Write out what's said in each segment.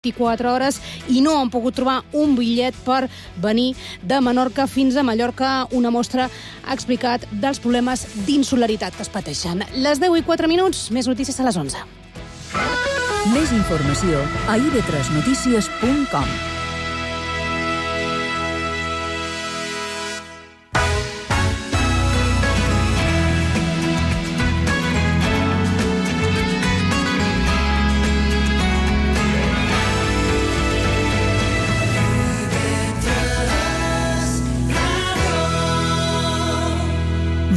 24 hores i no han pogut trobar un bitllet per venir de Menorca fins a Mallorca. Una mostra ha explicat dels problemes d'insolidaritat que es pateixen. Les 10:04, més notícies a les 11. Més informació a ib3notícies.com.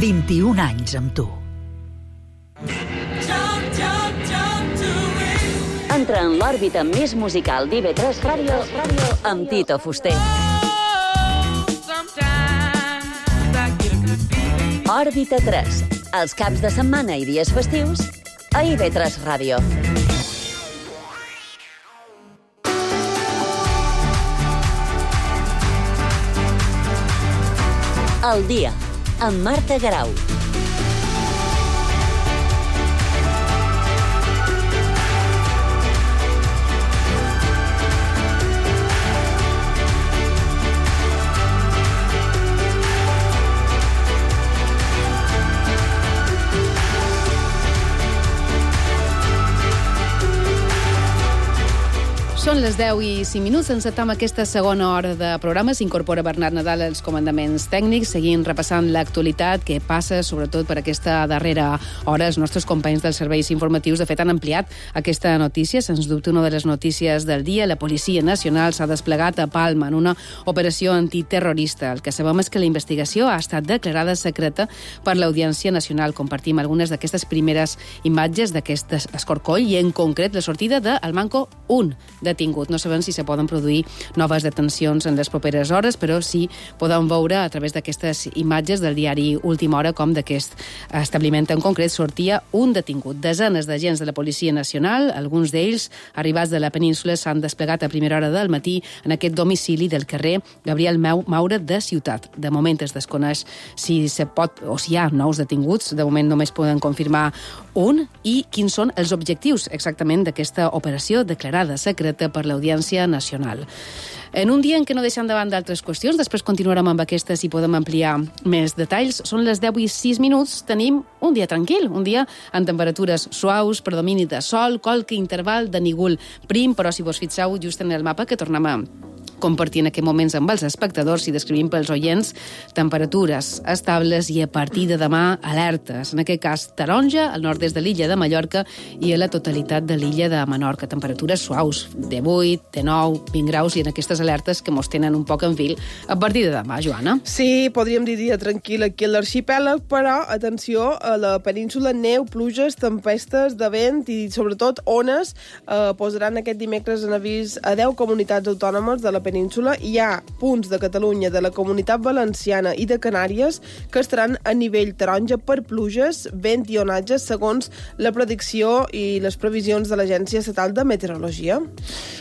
...21 anys amb tu. Entra en l'òrbita més musical d'IB3 Ràdio amb Tito Fuster. Òrbita 3, els caps de setmana i dies festius a IB3 Ràdio. El dia, amb Marta Garau. Són les 10:05, encetem aquesta segona hora de programa. S'incorpora Bernat Nadal als comandaments tècnics, seguint repassant l'actualitat que passa, sobretot per aquesta darrera hora. Els nostres companys dels serveis informatius, de fet, han ampliat aquesta notícia. Sens dubte, una de les notícies del dia. La Policia Nacional s'ha desplegat a Palma en una operació antiterrorista. El que sabem és que la investigació ha estat declarada secreta per l'Audiència Nacional. Compartim algunes d'aquestes primeres imatges d'aquest escorcoll i, en concret, la sortida del Manco 1 detingut. No sabem si se poden produir noves detencions en les properes hores, però sí podem veure a través d'aquestes imatges del diari Última Hora com d'aquest establiment en concret sortia un detingut. Desenes d'agents de la Policia Nacional, alguns d'ells arribats de la península, s'han desplegat a primera hora del matí en aquest domicili del carrer Gabriel Maura de Ciutat. De moment es desconeix si se pot o si hi ha nous detinguts. De moment només poden confirmar un. I quins són els objectius exactament d'aquesta operació declarada secreta per l'Audiència Nacional. En un dia en què no deixem davant d'altres qüestions, després continuarem amb aquestes i podem ampliar més detalls. Són les 10:06, tenim un dia tranquil, un dia amb temperatures suaus, predomini de sol, qualque interval de nígol prim, però si vos fixeu just en el mapa que tornem a compartir en aquests moments amb els espectadors i descrivim pels oients temperatures estables i a partir de demà alertes. En aquest cas, taronja al nord-est de l'illa de Mallorca i a la totalitat de l'illa de Menorca. Temperatures suaus de 8, de 9, 20 graus i en aquestes alertes que mos tenen un poc en fil a partir de demà, Joana. Sí, podríem dir dia tranquil aquí a l'arxipèlag, però atenció, a la península neu, pluges, tempestes de vent i sobretot ones posaran aquest dimecres en avís a 10 comunitats autònomes de la península. Hi ha punts de Catalunya, de la Comunitat Valenciana i de Canàries que estaran a nivell taronja per pluges, vent i onatges, segons la predicció i les previsions de l'Agència Estatal de Meteorologia.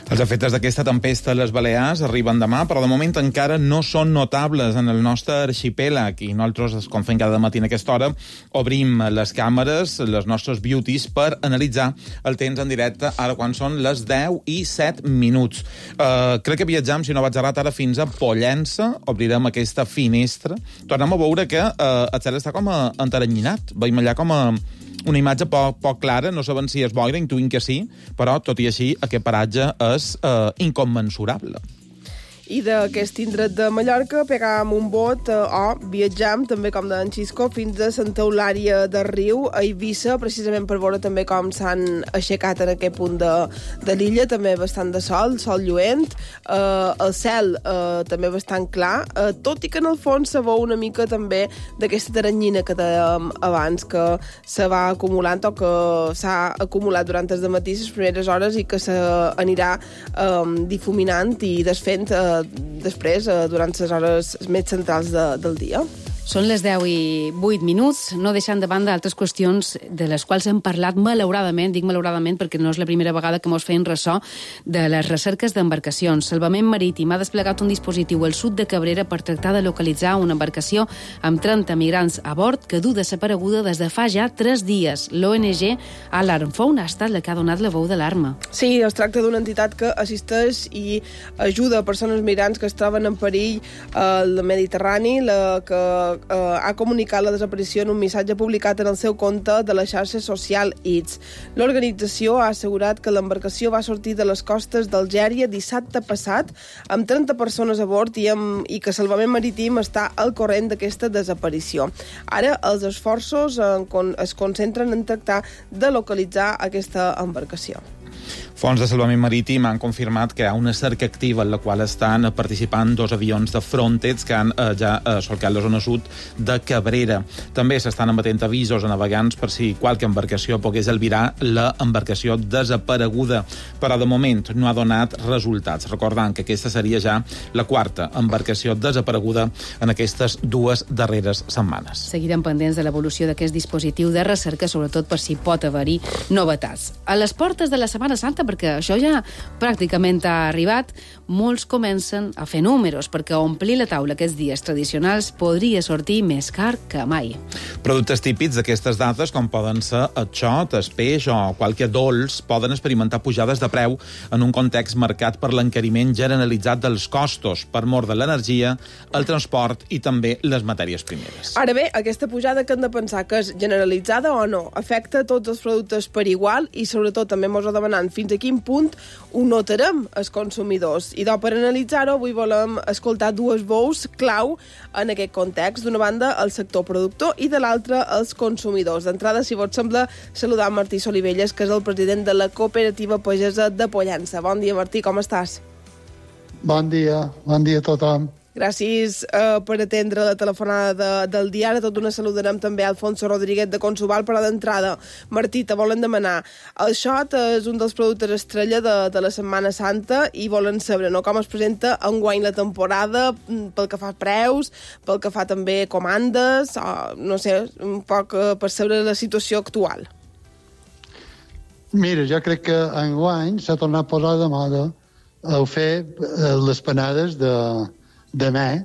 Els efectes d'aquesta tempesta a les Balears arriben demà, però de moment encara no són notables en el nostre arxipèlag i nosaltres, com fem cada matí a aquesta hora, obrim les càmeres, les nostres beauties, per analitzar el temps en directe ara quan són les 10:07. Crec que viatjam, si no vaig errat, ara fins a Pollença, obrirem aquesta finestra. Tornem a veure que el cel està com enteranyinat. Veiem allà com una imatge poc clara, no sabem si és boira, intuïm que sí, però tot i així aquest paratge és incommensurable. I d'aquest indret de Mallorca pegàvem un bot o viatjam, també com d'en Xisco, fins a Santa Eulària de Riu, a Eivissa, precisament per veure també com s'han aixecat en aquest punt de l'illa, també bastant de sol lluent, el cel també bastant clar, tot i que en el fons se veu una mica també d'aquesta taranyina que dèiem abans, que se va acumulant o que s'ha acumulat durant el matí, les primeres hores, i que s'anirà difuminant i desfent després, durant les hores més centrals del dia. Són les 10:08, no deixant de banda altres qüestions de les quals hem parlat malauradament, dic malauradament perquè no és la primera vegada que mos feien ressò de les recerques d'embarcacions. Salvament Marítim ha desplegat un dispositiu al sud de Cabrera per tractar de localitzar una embarcació amb 30 migrants a bord que du desapareguda des de fa ja 3 dies. L'ONG Alarm Phone ha estat la que ha donat la veu d'alarma. Sí, es tracta d'una entitat que assisteix i ajuda a persones migrants que es troben en perill al Mediterrani, la que ha comunicat la desaparició en un missatge publicat en el seu compte de la xarxa social X. L'organització ha assegurat que l'embarcació va sortir de les costes d'Algèria dissabte passat amb 30 persones a bord i que Salvament Marítim està al corrent d'aquesta desaparició. Ara els esforços es concentren en tractar de localitzar aquesta embarcació. Fonts de Salvament Marítim han confirmat que hi ha una cerca activa en la qual estan participant 2 avions de Frontex que han ja solcat la zona sud de Cabrera. També s'estan emetent avisos a navegants per si qualque embarcació pogués albirar l'embarcació desapareguda, però de moment no ha donat resultats. Recordant que aquesta seria ja la 4a embarcació desapareguda en aquestes 2 darreres setmanes. Seguirem pendents de l'evolució d'aquest dispositiu de recerca, sobretot per si pot haver-hi novetats. A les portes de la Setmana Santa, perquè això ja pràcticament ha arribat, molts comencen a fer números, perquè omplir la taula aquests dies tradicionals podria sortir més car que mai. Productes típics d'aquestes dates, com poden ser el xot, el peix o qualque dolç, poden experimentar pujades de preu en un context marcat per l'encariment generalitzat dels costos, per mor de l'energia, el transport i també les matèries primeres. Ara bé, aquesta pujada que hem de pensar que és generalitzada o no, afecta tots els productes per igual i sobretot també mos ho demanant fins a quin punt ho notarem els consumidors. I per analitzar-ho, avui volem escoltar 2 veus clau en aquest context. D'una banda, el sector productor i de l'altra, els consumidors. D'entrada, si vos sembla, saludar Martí Solivelles, que és el president de la Cooperativa Pagesa de Pollença. Bon dia, Martí, com estàs? Bon dia a tothom. Gràcies per atendre la telefonada del dia. Ara tot d'una saludarem també a Alfonso Rodríguez de Consubal, però d'entrada, Martí, te volen demanar. El xot és un dels productes estrella de la Setmana Santa i volen saber com es presenta enguany la temporada, pel que fa preus, pel que fa també comandes, no sé, un poc per saber la situació actual. Mira, jo crec que enguany s'ha tornat a posar de moda el fer les panades de me,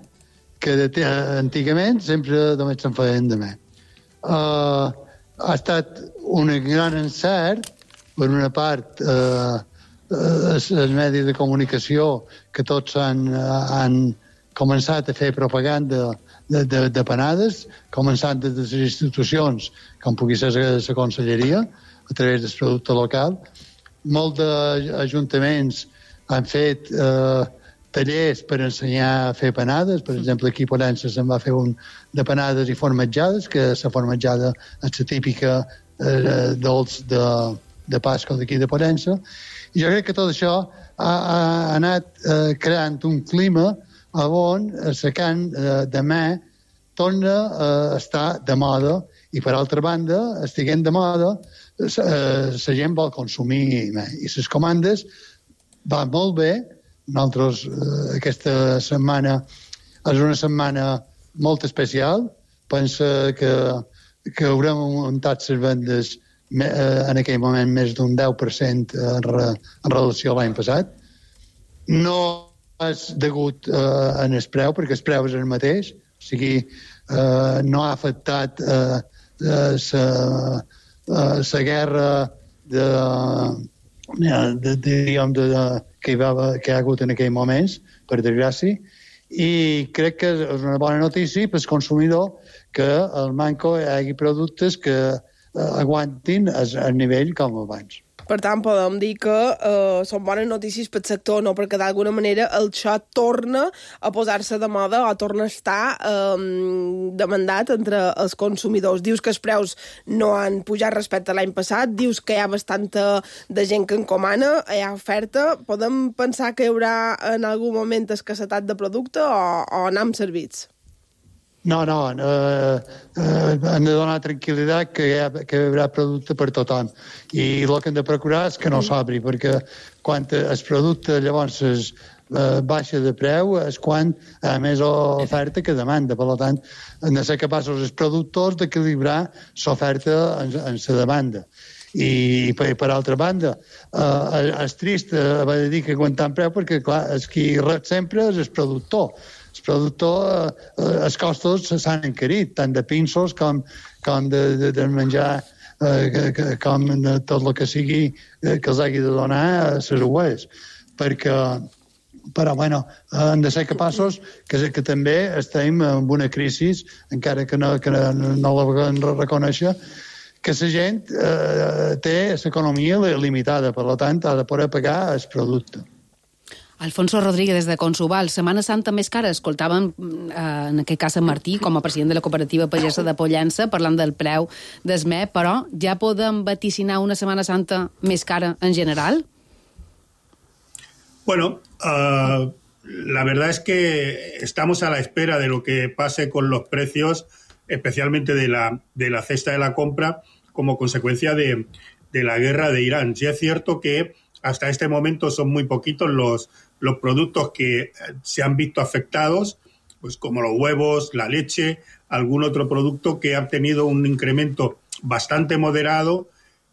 que antigament sempre només se'n feien de me. Ha estat un gran encert, per una part, els medis de comunicació, que tots han començat a fer propaganda de panades, començant des de les institucions, com pugui ser la conselleria, a través del producte local. Molts ajuntaments han fet tallers per ensenyar a fer panades. Per exemple, aquí a Pollença se'n va fer un de panades i formatjades, que la formatjada és la típica dolç de Pasqua d'aquí de Pollença. I jo crec que tot això ha anat creant un clima on la carn de me torna a estar de moda i, per altra banda, estiguent de moda, la gent vol consumir me. I les comandes van molt bé. Nosaltres, aquesta setmana és una setmana molt especial. Penso que haurem augmentat les vendes en aquell moment més d'un 10% en relació a l'any passat. No és degut en el preu, perquè el preu és el mateix. O sigui, no ha afectat la guerra que hi ha hagut en aquells moments, per desgràcia, i crec que és una bona notícia pel consumidor que al Manco hi hagi productes que aguantin el nivell com abans. Per tant, podem dir que són bones notícies pel sector, no? Perquè d'alguna manera el xot torna a posar-se de moda o torna a estar demandat entre els consumidors. Dius que els preus no han pujat respecte a l'any passat, dius que hi ha bastanta de gent que encomana, hi ha oferta. Podem pensar que hi haurà en algun moment escassetat de producte o anem servits? No, hem de donar tranquil·litat que hi haurà producte per tothom. I el que hem de procurar és que no s'obri, perquè quan el producte llavors baixa de preu és quan hi ha més oferta que demanda. Per tant, han de ser capaços els productors d'equilibrar l'oferta en la demanda. I per altra banda, és trist haver de dir que aguantant preu perquè, clar, qui rep sempre és el productor. El productor, els costos s'han encarit, tant de pinços com de menjar, com de tot el que sigui que els hagi de donar a les ues. Però, bueno, hem de ser capaços que també estem en una crisi, encara que no la vulguem reconèixer, que la gent té l'economia limitada, per tant, ha de poder pagar el producte. Alfonso Rodríguez, de Consuval. Setmana Santa més cara. Escoltàvem, en aquest cas, en Martí, com a president de la cooperativa pagesa de Pollença, parlant del preu d'esme, però ja podem vaticinar una Setmana Santa més cara en general? Bueno, la verdad es que estamos a la espera de lo que pase con los precios, especialmente de la cesta de la compra, como consecuencia de la guerra de Irán. Sí es cierto que hasta este momento son muy poquitos los productos que se han visto afectados, pues como los huevos, la leche, algún otro producto que ha tenido un incremento bastante moderado,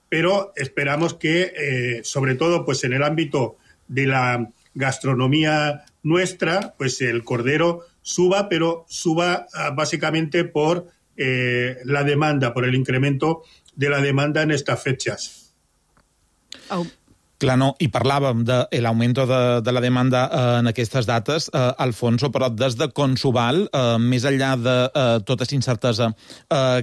pero esperamos que, sobre todo pues en el ámbito de la gastronomía nuestra, pues el cordero suba, pero suba básicamente por la demanda, por el incremento de la demanda en estas fechas. Clar, no, i parlàvem de l'augment de la demanda en aquestes dates, Alfonso, però des de Consuval, més enllà de tota la incertesa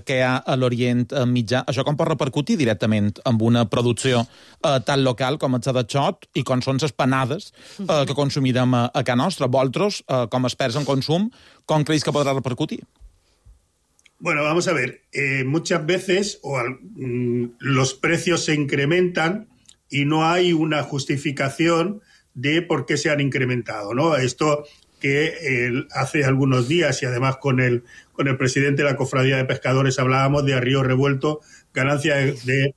que hi ha a l'Orient Mitjà, això com pot repercutir directament en una producció tan local com és la de xot i com són les panades que consumirem a casa nostra? Vosaltres, com a experts en consum, com creus que podrà repercutir? Bueno, vamos a ver, muchas veces los precios se incrementan y no hay una justificación de por qué se han incrementado, ¿no? Esto que hace algunos días, y además con el presidente de la Cofradía de Pescadores hablábamos de a río revuelto, ganancia de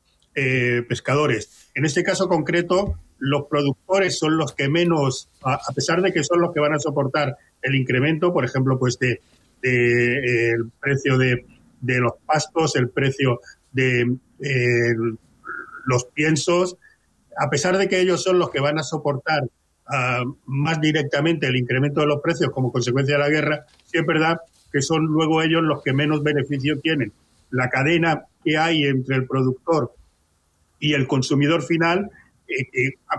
pescadores. En este caso concreto, los productores son los que menos, a pesar de que son los que van a soportar el incremento, por ejemplo, pues el precio de los pastos, el precio de los piensos. A pesar de que ellos son los que van a soportar más directamente el incremento de los precios como consecuencia de la guerra, sí es verdad que son luego ellos los que menos beneficio tienen. La cadena que hay entre el productor y el consumidor final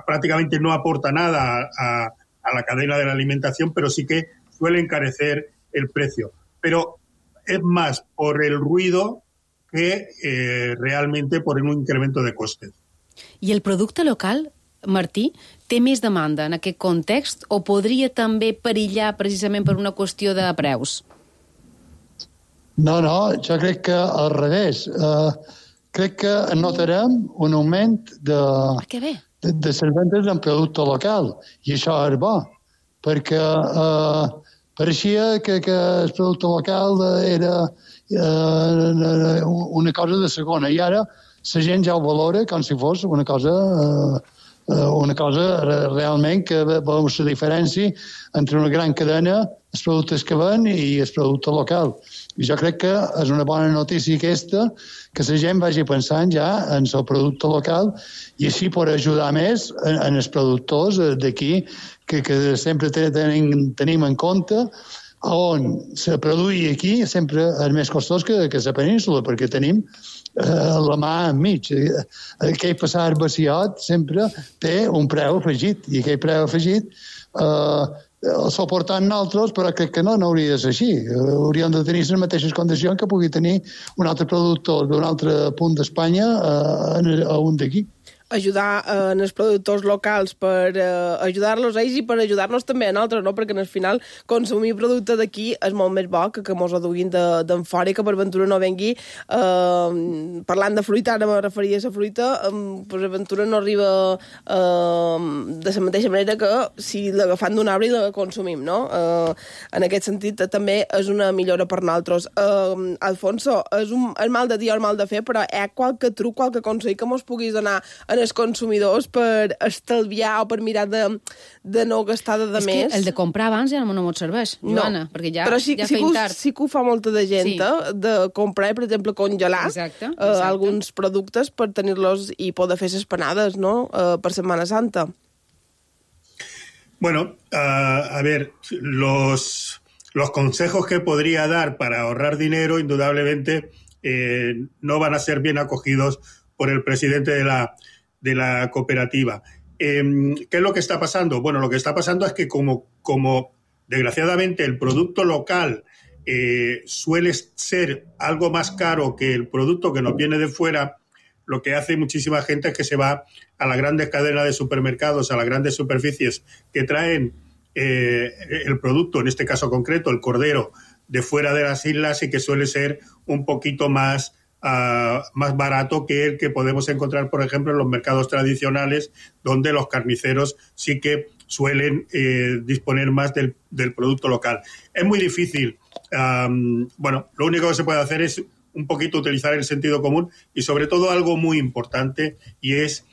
prácticamente no aporta nada a la cadena de la alimentación, pero sí que suele encarecer el precio. Pero es más por el ruido que realmente por un incremento de costes. I el producte local, Martí, té més demanda en aquest context o podria també perillar precisament per una qüestió de preus? No, jo crec que al revés. Crec que notarem un augment de les vendes en producte local, i això és bo, perquè pareixia que el producte local era una cosa de segona, i ara la gent ja ho valora com si fos una cosa realment que veus la diferència entre una gran cadena, els productes que ven i el producte local. I jo crec que és una bona notícia aquesta, que la gent vagi pensant ja en el producte local i així pot ajudar més en els productors d'aquí, que sempre tenim en compte on se produï aquí sempre és més costós que la península, perquè tenim la mà enmig. Aquell passar vaciat sempre té un preu afegit, i aquell preu afegit el suportant nosaltres, però crec que no hauria de ser així. Hauríem de tenir les mateixes condicions que pugui tenir un altre productor d'un altre punt d'Espanya a un d'aquí. Ajudar en els productors locals per ajudar-los a ells i per ajudar-nos també a nosaltres, no? Perquè al final consumir producte d'aquí és molt més bo que mos ho duguin d'en fora i que per ventura no vengui. Parlant de fruita, ara me referia a la fruita, per ventura no arriba de la mateixa manera que si l'agafant d'un arbre i la consumim, no? En aquest sentit també és una millora per nosaltres. Alfonso, és mal de dir o mal de fer, però hi ha qualque truc, qualque consell que mos puguis donar en els consumidors per estalviar o per mirar de no gastar de més. És que el de comprar abans ja no m'ho serveix, Joana, perquè ja feim tard. Sí que ho fa molta de gent, de comprar, per exemple, congelar alguns productes per tenir-los i poder fer les panades, no?, per Setmana Santa. Bueno, a ver, los consejos que podría dar para ahorrar dinero, indudablemente, no van a ser bien acogidos por el presidente de la cooperativa. ¿Qué es lo que está pasando? Bueno, lo que está pasando es que como desgraciadamente el producto local suele ser algo más caro que el producto que nos viene de fuera, lo que hace muchísima gente es que se va a las grandes cadenas de supermercados, a las grandes superficies que traen el producto, en este caso concreto, el cordero, de fuera de las islas y que suele ser un poquito más barato que el que podemos encontrar, por ejemplo, en los mercados tradicionales, donde los carniceros sí que suelen disponer más del producto local. Es muy difícil. Bueno, lo único que se puede hacer es un poquito utilizar el sentido común y sobre todo algo muy importante, y es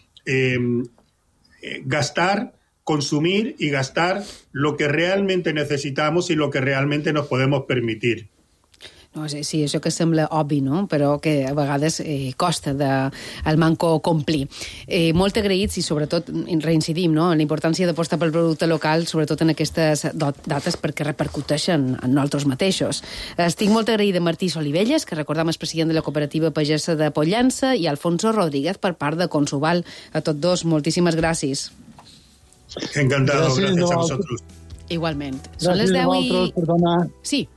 gastar, consumir y gastar lo que realmente necesitamos y lo que realmente nos podemos permitir. No sé, sí, això que sembla obvi, no?, però que a vegades costa el manco complir. Molt agraïts i sobretot reincidim, no?, en la importància d'apostar pel producte local, sobretot en aquestes dates perquè repercuteixen en nosaltres mateixos. Estic molt agraïda a Martí Solivelles, que recordam és president de la cooperativa pagesa de Pollença, i Alfonso Rodríguez per part de Consuval. A tots dos, moltíssimes gràcies. Encantado, gracias a vosotros. Igualment. Són les 10 i... Sí.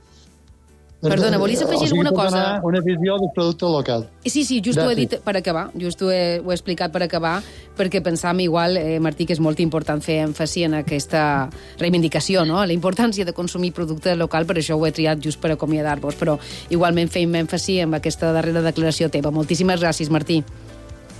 Perdona, volies afegir alguna cosa? Una visió del producte local. Sí, just ho he dit per acabar, just ho he explicat per acabar, perquè pensam igual, Martí, que és molt important fer èmfasi en aquesta reivindicació, no?, la importància de consumir producte local, per això ho he triat just per acomiadar-vos, però igualment feim èmfasi en aquesta darrera declaració teva. Moltíssimes gràcies, Martí.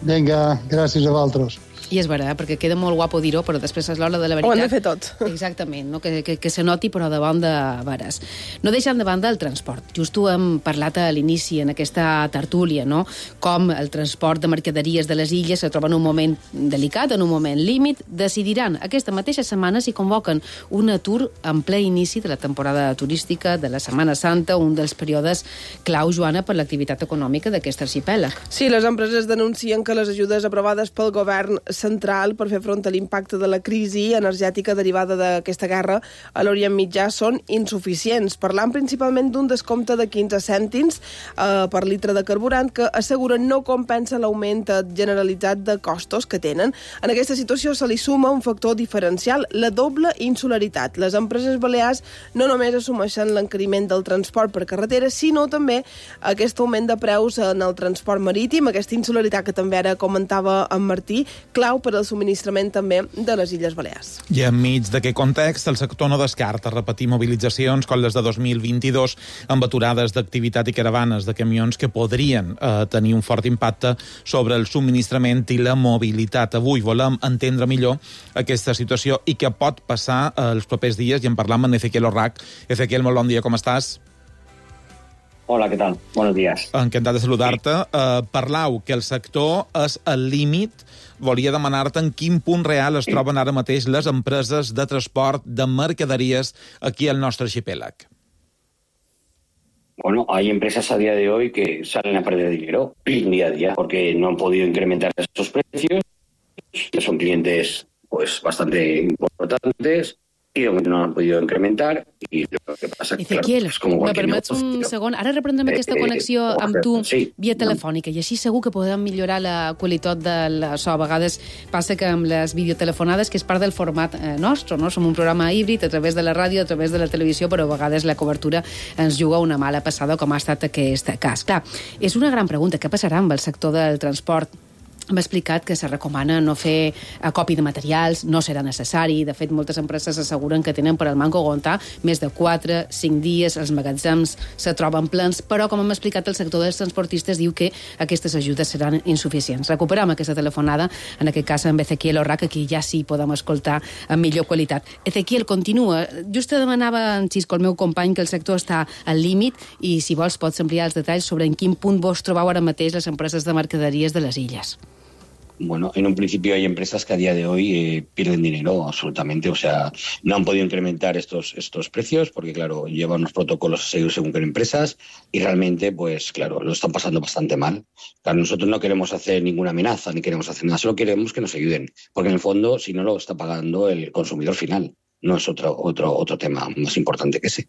Vinga, gràcies a vosaltres. I és vera, perquè queda molt guapo dir-ho, però després és l'hora de la veritat. Ho hem de fer tot. Exactament, no? que se noti, però de bon de veres. No deixant de banda el transport. Just ho hem parlat a l'inici, en aquesta tertúlia, no?, com el transport de mercaderies de les illes se troba en un moment delicat, en un moment límit. Decidiran aquesta mateixa setmana si convoquen un atur en ple inici de la temporada turística de la Setmana Santa, un dels períodes clau, Joana, per l'activitat econòmica d'aquest arxipèlag. Sí, les empreses denuncien que les ajudes aprovades pel govern central per fer front a l'impacte de la crisi energètica derivada d'aquesta guerra a l'Orient Mitjà són insuficients, parlant principalment d'un descompte de 15 cèntims per litre de carburant que asseguren no compensa l'augment generalitzat de costos que tenen. En aquesta situació se li suma un factor diferencial, la doble insularitat. Les empreses balears no només assumeixen l'encariment del transport per carretera, sinó també aquest augment de preus en el transport marítim, aquesta insularitat que també ara comentava en Martí, clau per al subministrament també de les Illes Balears. I enmig d'aquest context, el sector no descarta repetir mobilitzacions com les de 2022 amb aturades d'activitat i caravanes de camions que podrien tenir un fort impacte sobre el subministrament i la mobilitat. Avui volem entendre millor aquesta situació i què pot passar els propers dies, i en parlam amb Ezequiel Orrac. Ezequiel, molt bon dia, com estàs? Hola, ¿qué tal? Buenos días. Encantat de saludar-te. Parlau que el sector és al límit. Volia demanar-te en quin punt real es troben ara mateix les empreses de transport de mercaderies aquí al nostre arxipèlag. Bueno, hay empresas a día de hoy que salen a perder dinero día a día porque no han podido incrementar esos precios, que son clientes pues bastante importantes, i de moment no han podido incrementar, i lo que passa que Ezequiel, és com qualsevol permets un segon? Ara reprendrem aquesta connexió amb tu via telefònica, i així segur que podem millorar la qualitat del so. A vegades passa que amb les videotelefonades, que és part del format nostre, no? Som un programa híbrid a través de la ràdio, a través de la televisió, però a vegades la cobertura ens juga una mala passada, com ha estat aquest cas. Clar, és una gran pregunta. Què passarà amb el sector del transport? M'ha explicat que se recomana no fer acopio de materials, no serà necessari. De fet, moltes empreses asseguren que tenen per al manco aguantar més de 4-5 dies, els magatzems se troben plens, però, com hem explicat, el sector dels transportistes diu que aquestes ajudes seran insuficients. Recuperam aquesta telefonada, en aquest cas amb Ezequiel Orrac, que ja sí podem escoltar amb millor qualitat. Ezequiel, continua. Just te demanava en Xisco, el meu company, que el sector està al límit, i si vols pots ampliar els detalls sobre en quin punt vos trobeu ara mateix les empreses de mercaderies de les illes. Bueno, en un principio hay empresas que a día de hoy pierden dinero absolutamente, o sea, no han podido incrementar estos precios porque, claro, llevan unos protocolos a seguir según qué empresas y realmente, pues, claro, lo están pasando bastante mal. Claro, nosotros no queremos hacer ninguna amenaza ni queremos hacer nada, solo queremos que nos ayuden, porque en el fondo, si no, lo está pagando el consumidor final, no es otro tema más importante que ese.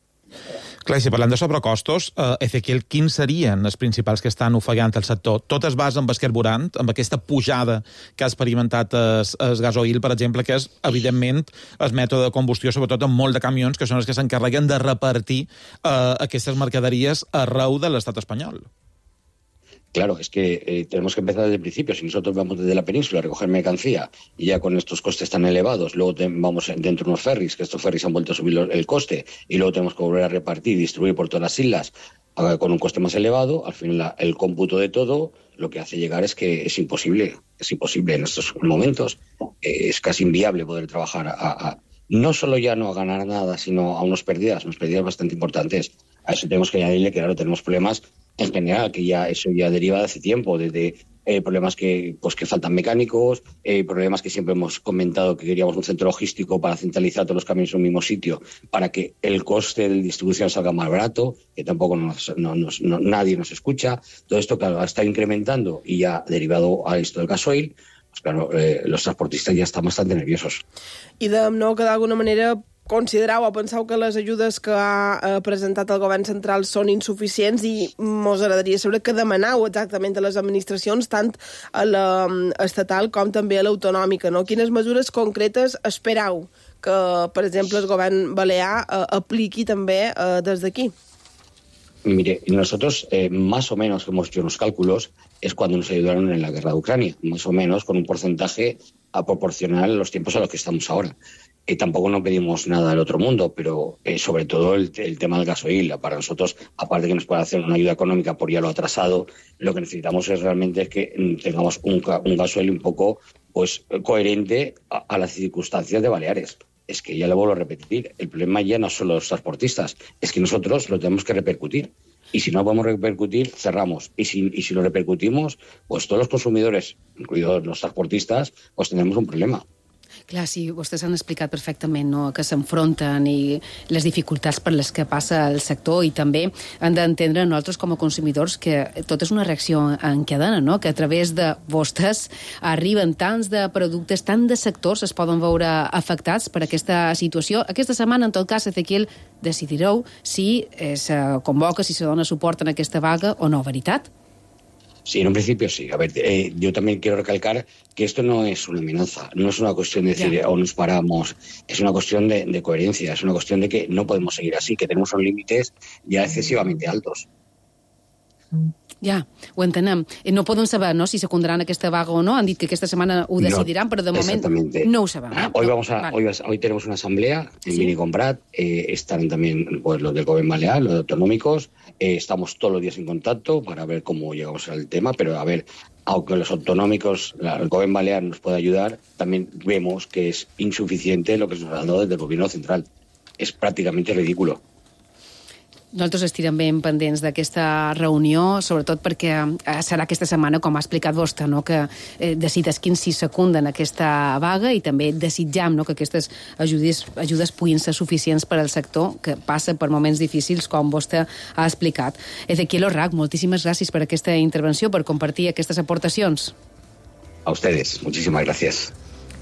Clar, si parlem de sobrecostos, Ezequiel, quins serien els principals que estan ofegant el sector? Tot es basa en el carburant, amb aquesta pujada que ha experimentat el gasoil, per exemple, que és, evidentment, el mètode de combustió, sobretot en molt de camions, que són els que s'encarreguen de repartir aquestes mercaderies arreu de l'estat espanyol. Claro, es que tenemos que empezar desde el principio. Si nosotros vamos desde la península a recoger mercancía y ya con estos costes tan elevados, luego vamos dentro de unos ferries, que estos ferries han vuelto a subir el coste, y luego tenemos que volver a repartir y distribuir por todas las islas con un coste más elevado, al final el cómputo de todo lo que hace llegar es que es imposible en estos momentos. Es casi inviable poder trabajar no solo ya no a ganar nada, sino a unas pérdidas bastante importantes. A eso tenemos que añadirle que, claro, tenemos problemas en general, que eso ya deriva de hace tiempo, desde problemas que faltan mecánicos, problemas que siempre hemos comentado que queríamos un centro logístico para centralizar todos los camiones en un mismo sitio, para que el coste de distribución salga más barato, que tampoco nadie nos escucha. Todo esto, claro, está incrementando y ya derivado a esto del gasoil, pues claro, los transportistas ya están bastante nerviosos. I que d'alguna manera considerau o penseu que les ajudes que ha presentat el govern central són insuficients i mos agradaria saber què demanau exactament a les administracions, tant a l'estatal com també a l'autonòmica, no? Quines mesures concretes esperau que, per exemple, el govern balear apliqui també des d'aquí? Mire, nosotros más o menos que hemos hecho unos cálculos es cuando nos ayudaron en la guerra de Ucrania, más o menos con un porcentaje a proporcional a los tiempos a los que estamos ahora. Tampoco no pedimos nada del otro mundo, pero sobre todo el tema del gasoil. Para nosotros, aparte de que nos pueda hacer una ayuda económica por ya lo atrasado, lo que necesitamos es realmente que tengamos un gasoil un poco coherente a las circunstancias de Baleares. Es que ya le vuelvo a repetir, el problema ya no son los transportistas, es que nosotros lo tenemos que repercutir. Y si no podemos repercutir, cerramos. Y si lo repercutimos, pues todos los consumidores, incluidos los transportistas, pues tendremos un problema. Clar, sí, vostès han explicat perfectament, no?, que s'enfronten i les dificultats per les que passa el sector, i també han d'entendre nosaltres com a consumidors que tot és una reacció en cadena, no?, que a través de vostès arriben tants de productes, tant de sectors es poden veure afectats per aquesta situació. Aquesta setmana, en tot cas, Ezequiel, decidireu si se convoca, si se dona suport en aquesta vaga o no, veritat? Sí, en un principio sí. A ver, yo también quiero recalcar que esto no es una amenaza, no es una cuestión de decir o nos paramos, es una cuestión de coherencia, es una cuestión de que no podemos seguir así, que tenemos unos límites ya excesivamente altos. Ja, ho entenem. No podem saber, no?, si secundaran aquesta vaga o no. Han dit que aquesta setmana ho decidiran, però de moment no ho sabem. Hoy tenemos una asamblea en Minicomprat, están también los del Gobierno Balear, los autonómicos, estamos todos los días en contacto para ver cómo llegamos al tema, pero a ver, aunque los autonómicos, el Gobierno Balear nos pueda ayudar, también vemos que es insuficiente lo que se nos ha dado desde el Gobierno Central. Es prácticamente ridículo. Nosaltres estirem ben pendents d'aquesta reunió, sobretot perquè serà aquesta setmana, com ha explicat vostè, no?, que decidesquin si secunden aquesta vaga, i també desitjam, no?, que aquestes ajudes puguin ser suficients per al sector, que passa per moments difícils, com vostè ha explicat. Ezequiel Orrach, moltíssimes gràcies per aquesta intervenció, per compartir aquestes aportacions. A ustedes, muchísimas gracias.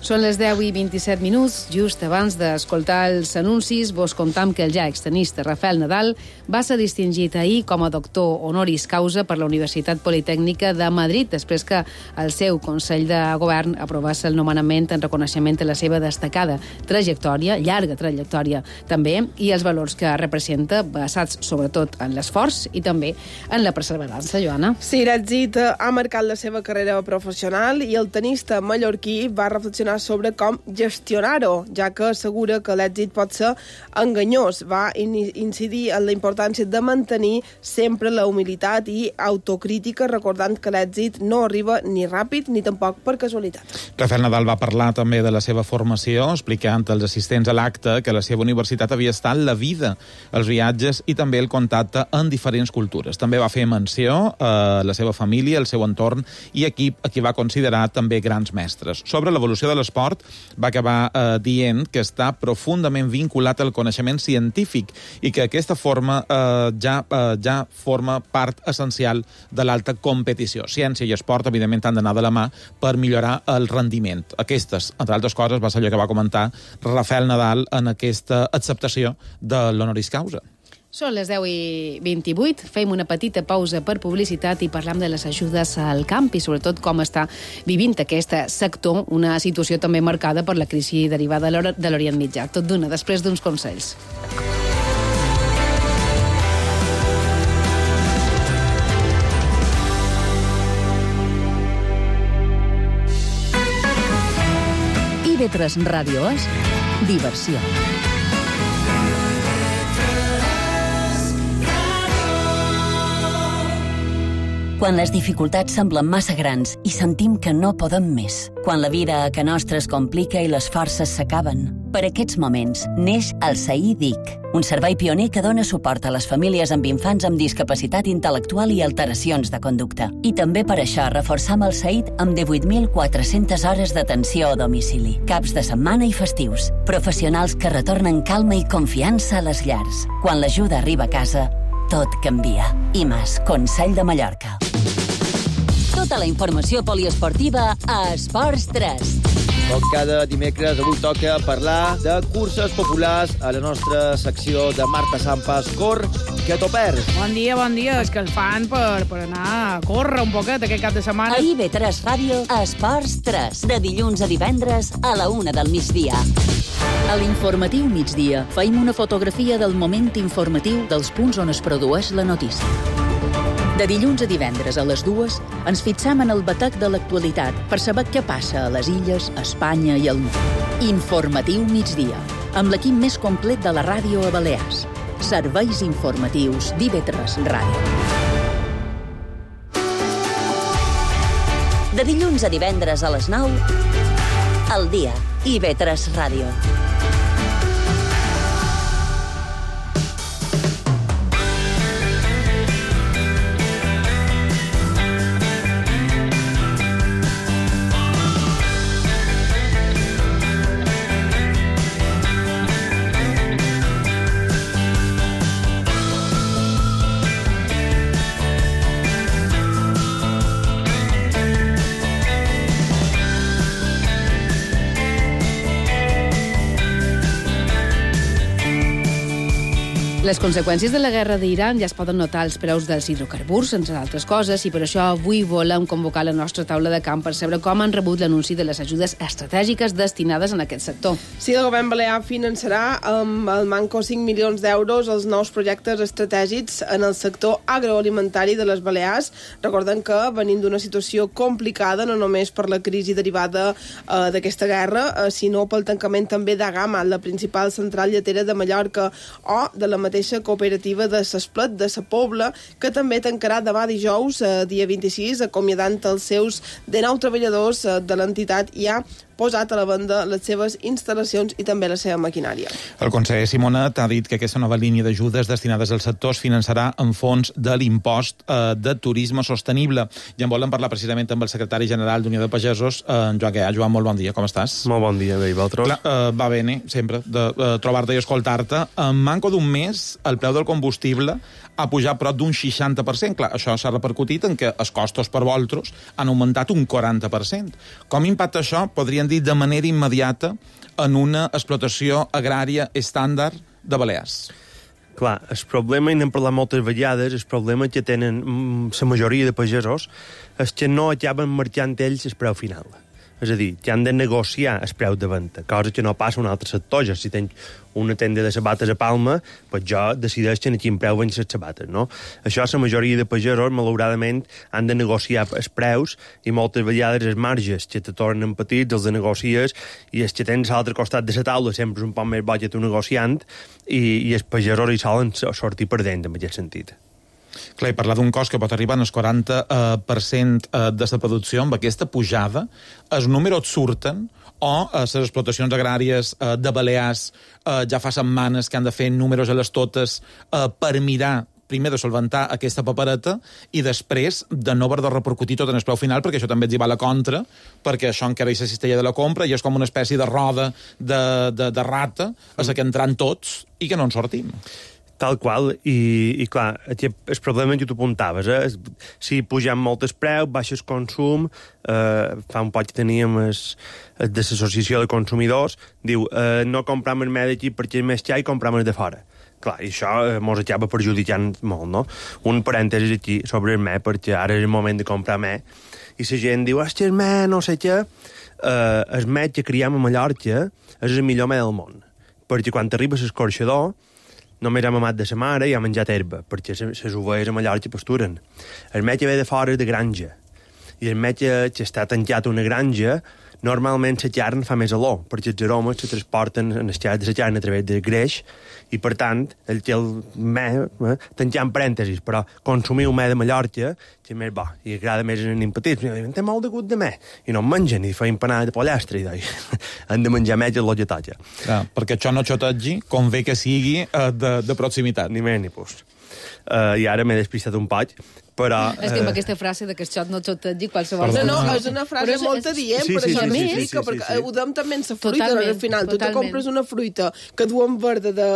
Són les 10:27, just abans d'escoltar els anuncis. Vos contam que el ja extenista Rafael Nadal va ser distingit ahir com a doctor honoris causa per la Universitat Politècnica de Madrid, després que el seu Consell de Govern aprovés el nomenament en reconeixement a la seva destacada trajectòria, llarga trajectòria també, i els valors que representa, basats sobretot en l'esforç i també en la perseverança, Joana. Sí, l'èxit ha marcat la seva carrera professional i el tenista mallorquí va reflexionar reflexionar sobre com gestionar-ho, ja que assegura que l'èxit pot ser enganyós. Va incidir en la importància de mantenir sempre la humilitat i autocrítica, recordant que l'èxit no arriba ni ràpid ni tampoc per casualitat. Rafael Nadal va parlar també de la seva formació, explicant als assistents a l'acte que la seva universitat havia estat la vida, els viatges i també el contacte en diferents cultures. També va fer menció a la seva família, el seu entorn i equip, a qui va considerar també grans mestres. Sobre l'evolució de l'esport, va acabar dient que està profundament vinculat al coneixement científic i que aquesta forma ja forma part essencial de l'alta competició. Ciència i esport, evidentment, han d'anar de la mà per millorar el rendiment. Aquestes, entre altres coses, va ser allò que va comentar Rafael Nadal en aquesta acceptació de l'honoris causa. Són les 10:28, fem una petita pausa per publicitat i parlam de les ajudes al camp i sobretot com està vivint aquest sector, una situació també marcada per la crisi derivada de l'Orient Mitjà. Tot d'una, després d'uns consells. IB3 Ràdio és diversió. Quan les dificultats semblen massa grans i sentim que no podem més. Quan la vida a ca nostra es complica i les forces s'acaben. Per aquests moments neix el SAIDIC, un servei pioner que dona suport a les famílies amb infants amb discapacitat intel·lectual i alteracions de conducta. I també per això reforçam el SAID amb 18.400 hores d'atenció a domicili, caps de setmana i festius. Professionals que retornen calma i confiança a les llars. Quan l'ajuda arriba a casa, tot canvia. IMAS, Consell de Mallorca. Tota la informació poliesportiva a Esports 3. Com cada dimecres, avui toca parlar de curses populars a la nostra secció de Marta Sampas. Cor, que t'ho perds. Bon dia, és que el fan per anar a córrer un poquet aquest cap de setmana. A IB3 Ràdio, Esports 3, de dilluns a divendres a la 1 del migdia. A l'informatiu migdia feim una fotografia del moment informatiu dels punts on es produeix la notícia. De dilluns a divendres a les 2 ens fixam en el batec de l'actualitat per saber què passa a les illes, a Espanya i al món. Informatiu migdia, amb l'equip més complet de la ràdio a Balears. Serveis informatius d'IB3 Ràdio. De dilluns a divendres a les 9, al dia, IB3 Ràdio. Les conseqüències de la guerra d'Iran ja es poden notar als preus dels hidrocarburs, entre altres coses, i per això avui volem convocar la nostra taula de camp per saber com han rebut l'anunci de les ajudes estratègiques destinades en aquest sector. Sí, el govern balear finançarà amb el manco 5 milions d'euros els nous projectes estratègics en el sector agroalimentari de les Balears. Recordem que venim d'una situació complicada, no només per la crisi derivada d'aquesta guerra, sinó pel tancament també de Gama, la principal central lletera de Mallorca, o de la mateixa cooperativa de s'Esplet de sa Pobla, que també tancarà demà dijous, dia 26, acomiadant els seus 19 treballadors de l'entitat i ha posat a la venda les seves instal·lacions i també la seva maquinària. El conseller Simonet ha dit que aquesta nova línia d'ajudes destinades al sector es finançarà en fons de l'impost de turisme sostenible. I en volem parlar precisament amb el secretari general d'Unió de Pagesos, en Joan Guià. Joan, molt bon dia, com estàs? Molt bon dia, bé, i vosaltres? Va bé, sempre, de trobar-te i escoltar-te. En manco d'un mes, el preu del combustible ha pujat prop d'un 60%. Clar, això s'ha repercutit en que els costos per vosaltres han augmentat un 40%. Com impacta això, podrien dir, de manera immediata en una explotació agrària estàndard de Balears? Clar, el problema, i n'hem parlat moltes vegades, el problema que tenen la majoria de pagesos és que no acaben marxant ells el preu final. és a dir, que han de negociar el preu de venda, cosa que no passa en un altre sector. Ja si tens una tenda de sabates a Palma, pues jo decideixo a quin preu venc les sabates, no? Això la majoria de pagesos, malauradament, han de negociar els preus i moltes vegades els marges que te tornen petits els de negocies i els que tens a l'altre costat de la taula sempre és un poc més bo que tu negociant i els pagesos hi solen sortir perdent en aquest sentit. Clar, i parlar d'un cost que pot arribar al 40% de la producció, amb aquesta pujada, els números surten o les explotacions agràries de Balears ja fa setmanes que han de fer números a les totes per mirar primer de solventar aquesta papereta i després de no haver de repercutir tot en el preu final, perquè això també ens hi va a la contra, perquè això encara és la cistella de la compra i és com una espècie de roda de rata a la que entran tots i que no en sortim. Tal qual, i clar, el problema que tu apuntaves, si pugem molt el preu, baixa el consum, fa un poc que teníem de l'associació de consumidors, diu, no compram el me d'aquí perquè és més car i compram el de fora. Clar, i això mos acaba perjudicant molt, no? Un parèntesis aquí sobre el me, perquè ara és el moment de comprar me, i la gent diu, hòstia, el me, no sé què, el me que criem a Mallorca és el millor me del món, perquè quan t'arriba l'escorxador, només ha mamat de sa mare i ha menjat herba, perquè les ovelles a Mallorca pasturen. El me que ve de fora és de granja, i el me que està tancat a una granja, normalment la carn fa més olor, perquè els aromes se transporten en les xarxes de la carn a través del greix, i per tant, el me, tanquant parèntesis, però consumir un me de Mallorca, que és més bo, i agrada més en els petits, té molt de gust de me, i no en mengen, i fa empanada de pollastre, i han de menjar més el que toca. Perquè això no xotegi, convé que sigui de proximitat. Ni més ni pus. I ara m'he despistat un poc, però... És que amb aquesta frase de que això no xotegi qualsevol... No, és una frase molt adient, per això m'explica, perquè ho diem també en la fruita, al final. Tu te compres una fruita que duen verda de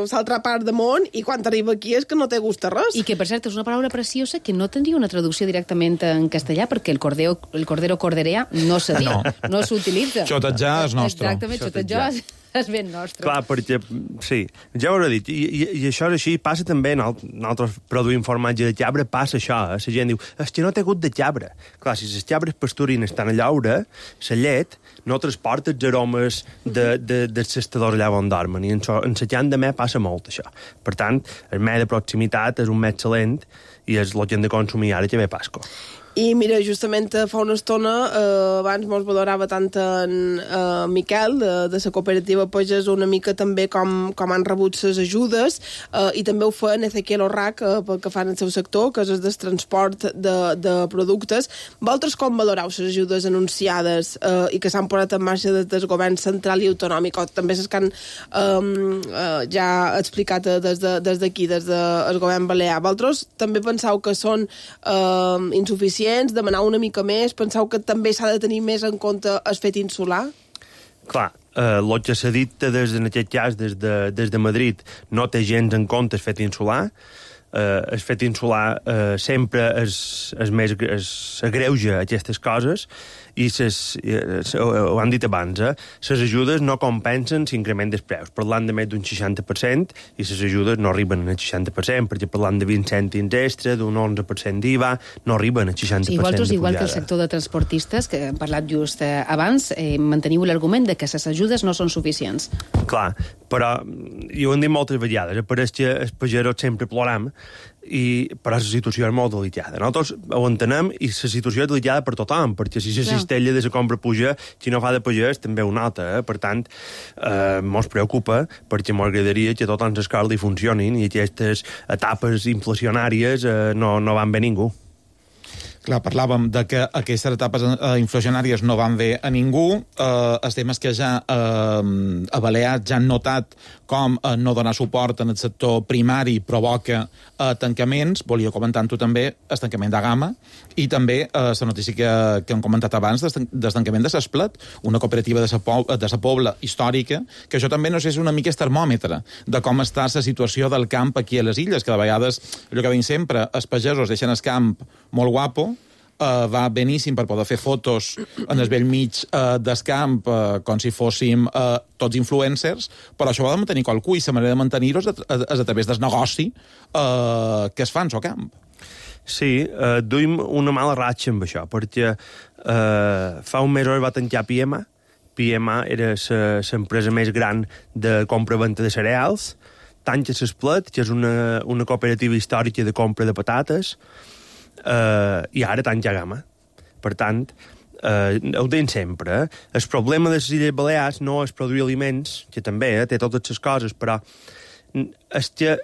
l'altra part del món i quan t'arriba aquí és que no té gust a res. I que, per cert, és una paraula preciosa que no tindria una traducció directament en castellà, perquè el cordero corderea no se diu, no s'utilitza. Xotejar és nostre. Exactament, xotejar és ben nostre. Clar, perquè, sí, ja ho he dit, i això és així, passa també, nosaltres produïm formatge de cabra, passa això, la gent diu, és que no té gust de cabra. Clar, si les cabres pasturin estan a llaure, la llet no transporta els aromes dels cestadors allà on dormen, i en la llant de me passa molt, això. Per tant, el me de proximitat és un me excel·lent, i és el que hem de consumir ara que ve Pasco. I mira, justament fa una estona, abans mos valorava tant en Miquel, de la cooperativa Pagès, una mica també com han rebut les ajudes, i també ho fa en Ezequiel Orrac, pel que fan el seu sector, que és el del transport de productes. Vosaltres com valoreu les ajudes anunciades i que s'han posat en marxa des del govern central i autonòmic, o també les que han ja explicat des d'aquí, des del govern balear? Vosaltres també penseu que són insuficients, demanar una mica més? Penseu que també s'ha de tenir més en compte el fet insular? Clar, el que s'ha dit en aquest cas des de Madrid no té gens en compte el fet insular. El fet insular sempre agreuja aquestes coses i ho han dit abans, les ajudes no compensen l'increment dels preus, parlant de més d'un 60%, i les ajudes no arriben al 60%, perquè parlant de 20 cèntims extra, d'un 11% d'IVA, no arriben al 60% de pujada. Vosaltres, igual que el sector de transportistes, que hem parlat just abans, manteniu l'argument de que les ajudes no són suficients. Clar, però, i ho hem dit moltes vegades, pareix que els pagesos sempre ploram, però la situació és molt delicada. Nosaltres ho entenem i la situació és delicada per tothom, perquè si la cistella de la compra puja, si no fa de pagès també ho nota. Per tant, mos preocupa, perquè m'agradaria que tots els escaldi funcionin i aquestes etapes inflacionàries no van bé ningú. Clar, parlàvem de que aquestes etapes inflacionàries no van bé a ningú. Els temes que ja a Balears ja han notat com no donar suport en el sector primari provoca tancaments. Volia comentar amb tu també el tancament de Gama i també la notícia que hem comentat abans del tancament de Sesplet, una cooperativa de la Pobla històrica, que això també no sé, és una mica el termòmetre de com està la situació del camp aquí a les illes, que de vegades, allò que dic sempre, els pagesos deixen el camp molt guapo, va beníssim per poder fer fotos en el vell mig del camp com si fóssim tots influencers, però això ho ha de mantenir qualcú i la manera de mantenir-ho és a través del negoci que es fa en el camp. Sí, duim una mala ratxa amb això, perquè fa un mes va tancar PMA. PMA era l'empresa més gran de compra-venta de cereals. Tanca l'Esplet, que és una cooperativa històrica de compra de patates, i ara tanca Gama. Per tant, ho deim sempre. El problema de les Illes Balears no és produir aliments, que també té totes les coses, però és que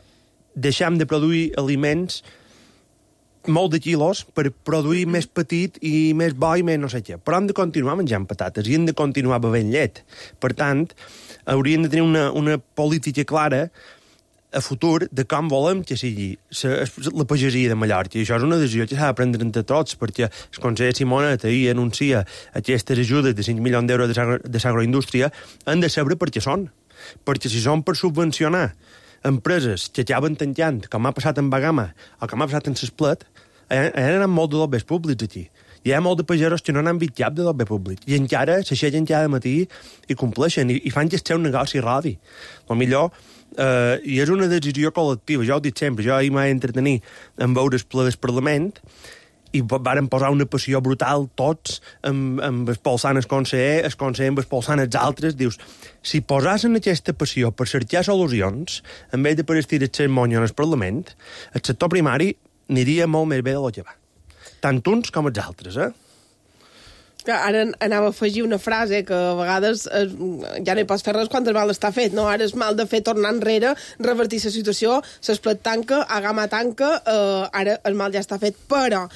deixem de produir aliments molt de quilos per produir més petit i més bo i més no sé què. Però hem de continuar menjant patates i hem de continuar bevent llet. Per tant, hauríem de tenir una política clara a futur de com volem que sigui la pagesia de Mallorca. I això és una decisió que s'ha de prendre entre tots, perquè el conseller Simonet ahir anuncia aquestes ajudes de 5 milions d'euros de l'agroindústria, han de saber per què són. Perquè si són per subvencionar empreses que acaben tancant, com ha passat amb Bagama o com ha passat amb l'Esplet, hi ha molt de dobbers públics aquí. Hi ha molt de pagesos que no n'han vist cap de dobber públic. I encara s'aixequen cada matí i compleixen, i fan que el seu negoci rodi. El millor, i és una decisió col·lectiva, jo ho dic sempre, jo ahir m'he entretenir en veure el ple del Parlament, i varen posar una passió brutal tots amb expulsant el conseller amb expulsant els altres. Dius, si posassen aquesta passió per cercar solucions, en vez de per estirar el monyo en el Parlament, el sector primari aniria molt més bé de lo que va. Tant uns com els altres, Ara anava a afegir una frase que a vegades ja no hi pots fer res quan el mal està fet, no? Ara és mal de fer tornar enrere, revertir la situació, s'Esplet tanca, Agama tanca, ara el mal ja està fet, però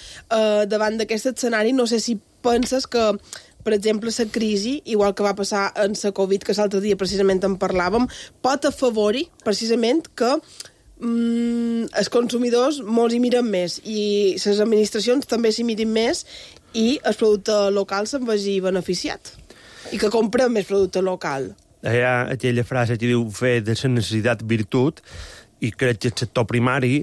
davant d'aquest escenari no sé si penses que, per exemple, la crisi, igual que va passar en la Covid, que l'altre dia precisament en parlàvem, pot afavorir precisament que els consumidors molts hi miren més i les administracions també s'hi mirin més i el producte local se'n vegi beneficiat i que comprem més producte local. Hi ha aquella frase que diu fer de la necessitat virtut, i crec que el sector primari,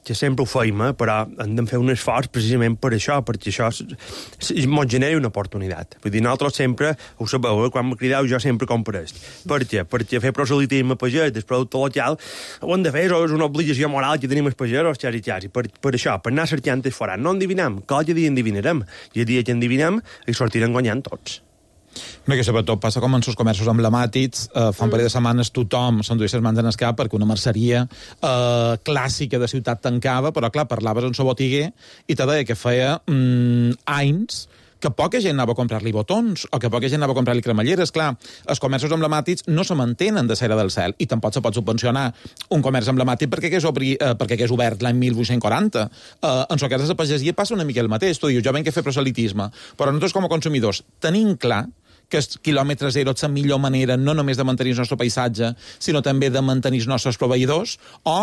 que sempre ho feim, però hem de fer un esforç precisament per això, perquè això ens genera una oportunitat. Vull dir, nosaltres sempre, ho sabeu, quan me crideu jo sempre compro est. Per què? Perquè fer proselitisme pagès del producte local ho hem de fer, és una obligació moral que tenim els pagesos, xas i per això, per anar cercant el forat. No endivinam, cada dia endivinarem, i el dia que endivinem hi sortirem guanyant tots. No, que sobretot passa com en els comerços emblemàtics, fa un parell de setmanes tothom s'enduia les mans en el cap perquè una merceria clàssica de ciutat tancava, però clar, parlaves amb el botiguer i te deia que feia anys que poca gent anava a comprar-li botons o que poca gent anava a comprar-li cremalleres. Clar, els comerços emblemàtics no se mantenen de cera del cel i tampoc se pot subvencionar un comerç emblemàtic perquè és obert l'any 1840. En el cas de la pagesia passa una mica el mateix. Tu dius, jo venc a fer proselitisme, però nosaltres com a consumidors tenim clar que el quilòmetre zero és la millor manera no només de mantenir el nostre paisatge, sinó també de mantenir els nostres proveïdors, o,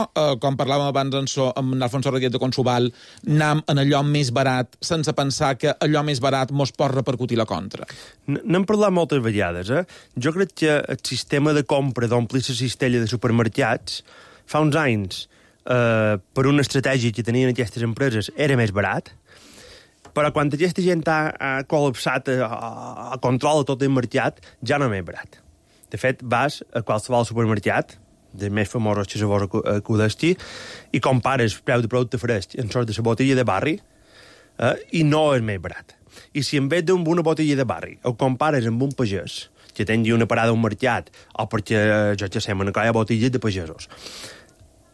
com parlàvem abans amb Alfonso Rodríguez de Consubal, anam en allò més barat sense pensar que allò més barat mos pot repercutir la contra. N'hem parlat moltes vegades, Jo crec que el sistema de compra d'omplir la cistella de supermercats fa uns anys, per una estratègia que tenien aquestes empreses, era més barat, però quan aquesta gent ha col·lapsat, controla tot el mercat, ja no és barat. De fet, vas a qualsevol supermercat, dels més famosos que se vos acudeixi, i compares preu de producte fresc en sort de la botella de barri, i no és més barat. I si en vez d'una botella de barri ho compares amb un pagès que tingui una parada a un mercat, o perquè, jo que sé, una colla de botelles de pagesos,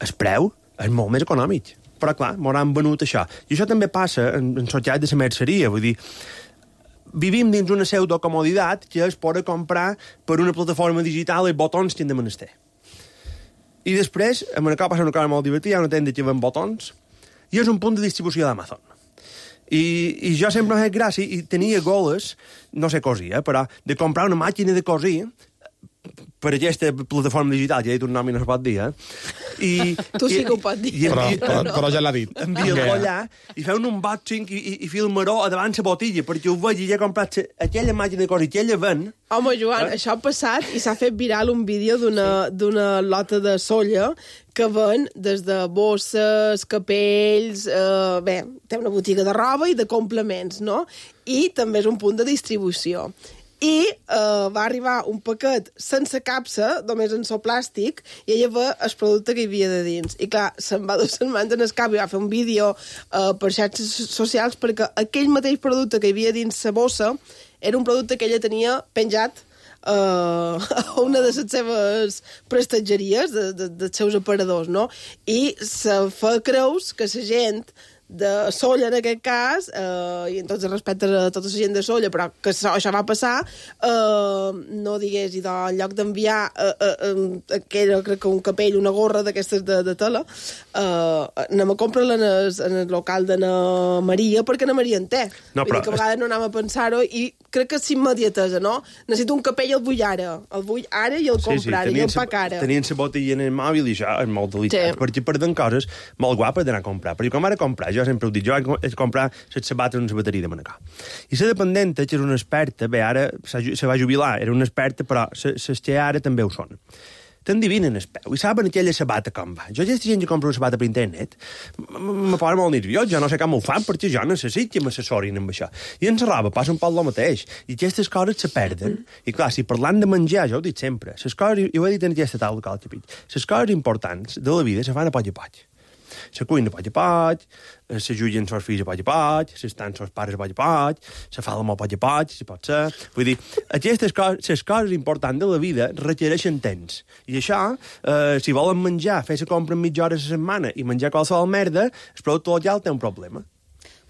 el preu és molt més econòmic. Però, clar, m'hauran venut això. I això també passa en societat de la merceria. Vull dir, vivim dins una pseudocomoditat que és poder comprar per una plataforma digital els botons que hem de menester. I després, a Manacor passa una cosa molt divertida, hi ha una tenda que ven botons, i és un punt de distribució d'Amazon. I jo sempre m'he fet gràcia i tenia goles, no sé cosir, però de comprar una màquina de cosir per aquesta plataforma digital, que ja he dit un nom i no es pot dir, Tu sí que ho pots dir. Però ja l'ha dit. Envia-lo allà i feu un unboxing i filmaró a davant la botilla, perquè ho veig i ja he comprat aquella màquina de cosir que ella ven. Home, Joan, això ha passat i s'ha fet viral un vídeo d'una lota de solla que ven des de bosses, capells, té una botiga de roba i de complements, no? I també és un punt de distribució. i va arribar un paquet sense capsa, només en plàstic, i ella va el producte que hi havia de dins. I clar, se'n va 2 setmanes en el cap i va fer un vídeo per xarxes socials perquè aquell mateix producte que hi havia dins la bossa era un producte que ella tenia penjat a una de les seves prestatgeries, dels seus aparadors, no? I se fa creus que la gent de Solla, en aquest cas, i en tots els respectes a tota la gent de Solla, però que això va passar, no digués, i en lloc d'enviar aquella, crec que un capell, una gorra d'aquestes de tela, anem a comprar-la en el local d'Anna Maria, perquè Anna Maria en té. No, però... Vull dir que a vegades no anem a pensar-ho, i crec que és immediatesa, no? Necessito un capell, el vull ara i el compro ara, i el pac ara. Tenien la botella en el mòbil i això és molt delicat, perquè perden coses molt guapes d'anar a comprar. Perquè com ara comprar, jo sempre ho dic, jo vaig comprar les sabates en la bateria de Manacor. I la dependenta, que és una experta, bé, ara se va jubilar, era una experta, però les que ara també ho són. T'endivinen el peu i saben aquella sabata com va. Jo, aquesta gent que compra una sabata per internet, me posa molt nerviós, jo no sé com ho fan, perquè jo necessito que m'assessorin amb això. I en la roba passa un poc el mateix. I aquestes coses se perden. I clar, si parlant de menjar, jo ho dic sempre, les coses, jo ho he dit en aquesta taula que l'altre pit, les coses importants de la vida se fan a poc a poc. Se cuina a poc a poc, se jutgen els fills a poc a poc, s'estan els pares a poc a poc, se fa l'amor a poc a poc, si pot ser. Vull dir, aquestes coses, les coses importants de la vida requereixen temps. I això, si volen menjar, fer la compra en mitja hora a la setmana i menjar qualsevol merda, el producte local té un problema.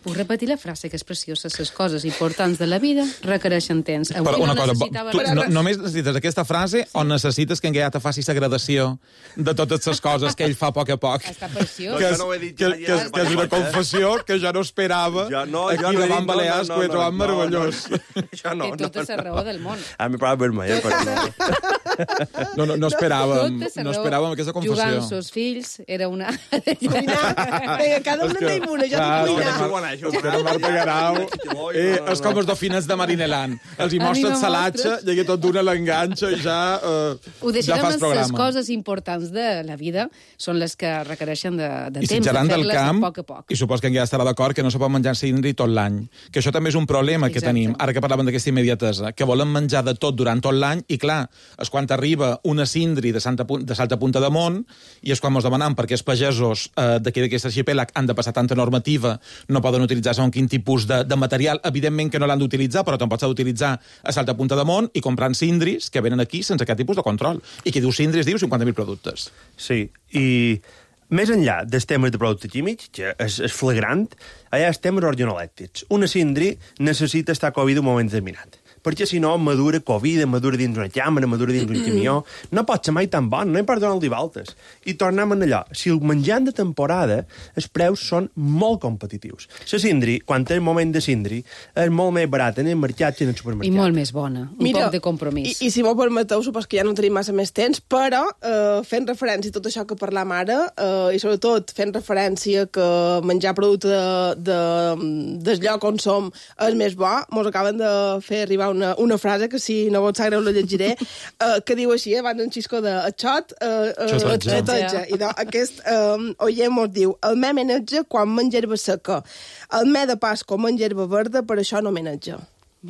Puc repetir la frase, que és preciosa. Les coses importants de la vida requereixen temps. Però una cosa, tu només necessites aquesta frase o necessites que en Gaià te faci la gradació de totes les coses que ell fa a poc a poc? Està preciós. Que és una confessió que jo no esperava aquí davant Balears, que ho he trobat meravellós. Té tota la raó del món. A mi prova vermella. No esperàvem aquesta confessió. Jugant amb els fills era una... Cada una tenim una, jo dic cuinar. Espera, Marta Garau. És com els dofines de Marineland. Els hi mostres salatge, i tot d'una l'enganxa i ja fas programa. Les coses importants de la vida són les que requereixen de temps, de fer-les a poc a poc. I supos que en ja estarà d'acord que no se pot menjar cindri tot l'any. Que això també és un problema que tenim, ara que parlàvem d'aquesta immediatesa, que volem menjar de tot durant tot l'any i, clar, és quan arriba una cindri de Salta Punta de Mont i és quan ens demanem per què els pagesos d'aquest arxipèlag han de passar tanta normativa, no poden utilitzar segons quin tipus de material. Evidentment que no l'han d'utilitzar, però tampoc s'ha d'utilitzar a Salta Punta de Mont i comprant cindris que venen aquí sense cap tipus de control. I qui diu cindris diu 50.000 productes. Sí, i més enllà dels temes de productes químics, que és flagrant, hi ha els temes organolèptics. Una cindri necessita estar covida un moment determinat, perquè si no madura covida, madura dins una càmera, madura dins un camió. No pot ser mai tan bon, no hi pot donar-li voltes. I tornem a allò. Si el menjant de temporada, els preus són molt competitius. La cindri, quan té el moment de cindri, és molt més barat en el mercat que en el supermercat. I molt més bona. Poc de compromís. I si m'ho permeteu, supos que ja no tenim massa més temps, però fent referència a tot això que parlam ara, i sobretot fent referència que menjar producte del lloc on som és més bo, mos acaben de fer arribar una frase que, si no vos sap greu, la llegiré, que diu així, abans en Xisco de xot, xoteja. I aquest oient mos diu: el me menetja quan menja herba seca. El me de Pasco menja herba verda, per això no menetja.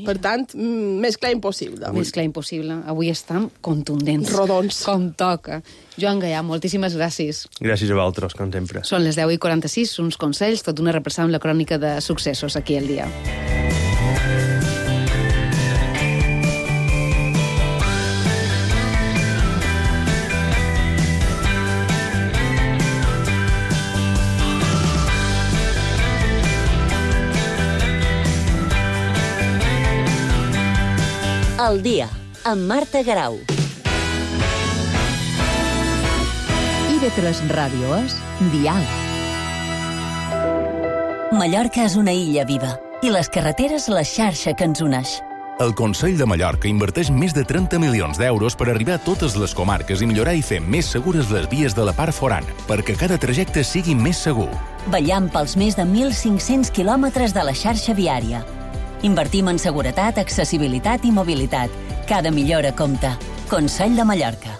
Per tant, més clar impossible. Més clar impossible. Avui estem contundents. Rodons. Com toca. Joan Gaià, moltíssimes gràcies. Gràcies a vosaltres, com sempre. Són les 10:46, uns consells, tot una repassada amb la crònica de successos aquí al dia. Al dia, amb Marta Garau. IB3 Ràdio és Dial. Mallorca és una illa viva i les carreteres la xarxa que ens uneix. El Consell de Mallorca inverteix més de 30 milions d'euros per arribar a totes les comarques i millorar i fer més segures les vies de la part forana, perquè cada trajecte sigui més segur. Vetllant pels més de 1.500 quilòmetres de la xarxa viària. Invertim en seguretat, accessibilitat i mobilitat. Cada millora compta. Consell de Mallorca.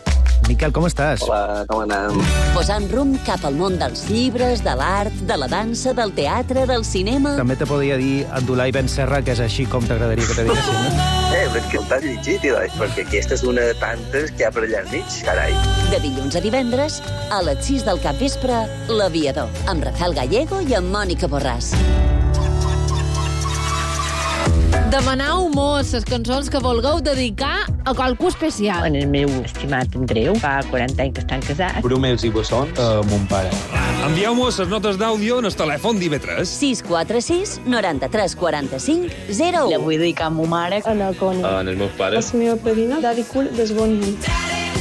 Miquel, com estàs? Hola, com anem? Posant rumb cap al món dels llibres, de l'art, de la dansa, del teatre, del cinema... També te podria dir Abdulai Ben Serra, que és així com t'agradaria que te diguessin, no? Perquè el t'has llegit, perquè aquesta és una de tantes que hi ha per allà enmig, carai. De dilluns a divendres, a les 6 del capvespre, L'Aviador, amb Rafael Gallego i amb Mònica Borràs. Demanar humor, les cançons que vulgueu dedicar a qualcú especial. En el meu estimat Andreu, fa 40 anys que estan casats. Brumels i bessons a mon pare. Envieu-me les notes d'àudio en el telèfon d'IV3. 646 93 45 01. La vull dedicar a ma mare. En el Coni. En els meus pares. La meva padrina, Daddy Cool, des bon nit.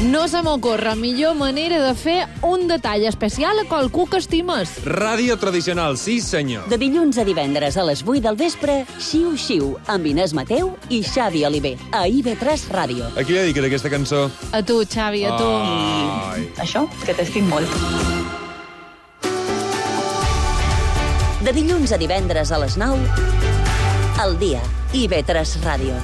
No se m'ocorre millor manera de fer un detall especial a qualcú que estimes. Ràdio tradicional, sí senyor. De dilluns a divendres a les 8 del vespre, Xiu Xiu, amb Inés Mateu i Xavi Oliver, a IB3 Ràdio. A qui li dediques aquesta cançó? A tu, Xavi, a tu. Ai. Això, que t'estim molt. De dilluns a divendres a les 9, al dia, IB3 Ràdio.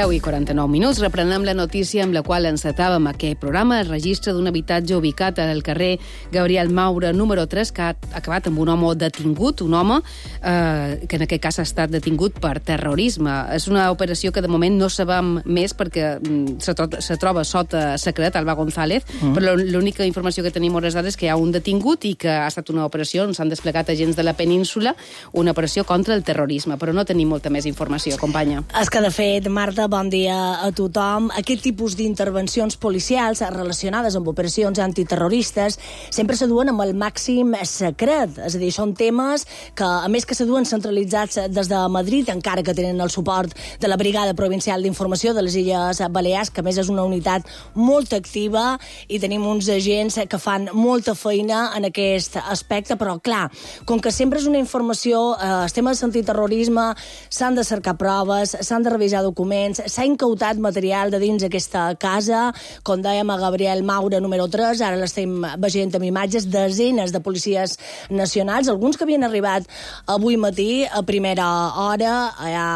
I 49 minuts. Reprenem la notícia amb la qual encetàvem aquest programa. El registre d'un habitatge ubicat al carrer Gabriel Maura, número 3, que ha acabat amb un home detingut, un home que en aquest cas ha estat detingut per terrorisme. És una operació que de moment no sabem més perquè se troba sota secret, Alba González, però l'única informació que tenim hores d'ara és que hi ha un detingut i que ha estat una operació on s'han desplegat agents de la península, una operació contra el terrorisme, però no tenim molta més informació, companya. És que, de fet, Marta, bon dia a tothom. Aquest tipus d'intervencions policials relacionades amb operacions antiterroristes sempre se duen amb el màxim secret. És a dir, són temes que, a més que se duen centralitzats des de Madrid, encara que tenen el suport de la Brigada Provincial d'Informació de les Illes Balears, que a més és una unitat molt activa i tenim uns agents que fan molta feina en aquest aspecte, però clar, com que sempre és una informació, els temes d'antiterrorisme s'han de cercar proves, s'han de revisar documents, s'ha incautat material de dins aquesta casa, com dèiem a Gabriel Maura, número 3, ara l'estem veient amb imatges, desenes de policies nacionals, alguns que havien arribat avui matí a primera hora, ja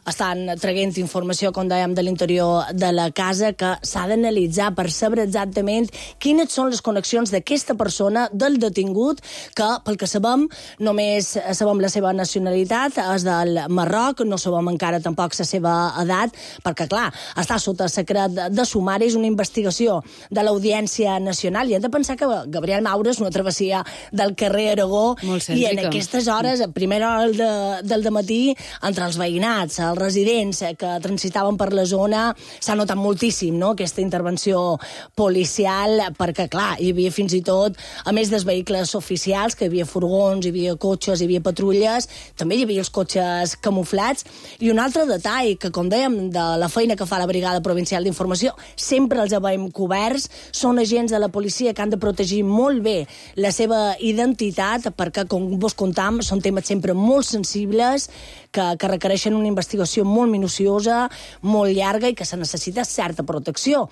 estan traient informació, com dèiem, de l'interior de la casa, que s'ha d'analitzar per saber exactament quines són les connexions d'aquesta persona, del detingut, que, pel que sabem, només sabem la seva nacionalitat, és del Marroc, no sabem encara tampoc la seva edat, perquè, clar, està sota secret de sumari, és una investigació de l'Audiència Nacional, i hem de pensar que Gabriel Maura és una travessia del carrer Aragó, i en aquestes hores, a primera hora del dematí, entre els veïnats, els residents que transitaven per la zona, s'ha notat moltíssim, no?, aquesta intervenció policial, perquè, clar, hi havia fins i tot, a més dels vehicles oficials, que hi havia furgons, hi havia cotxes, hi havia patrulles, també hi havia els cotxes camuflats, i un altre detall, que, com dèiem, de la feina que fa la Brigada Provincial d'Informació, sempre els veiem coberts, són agents de la policia que han de protegir molt bé la seva identitat, perquè, com vos contam, són temes sempre molt sensibles, que requereixen una investigació molt minuciosa, molt llarga i que se necessita certa protecció.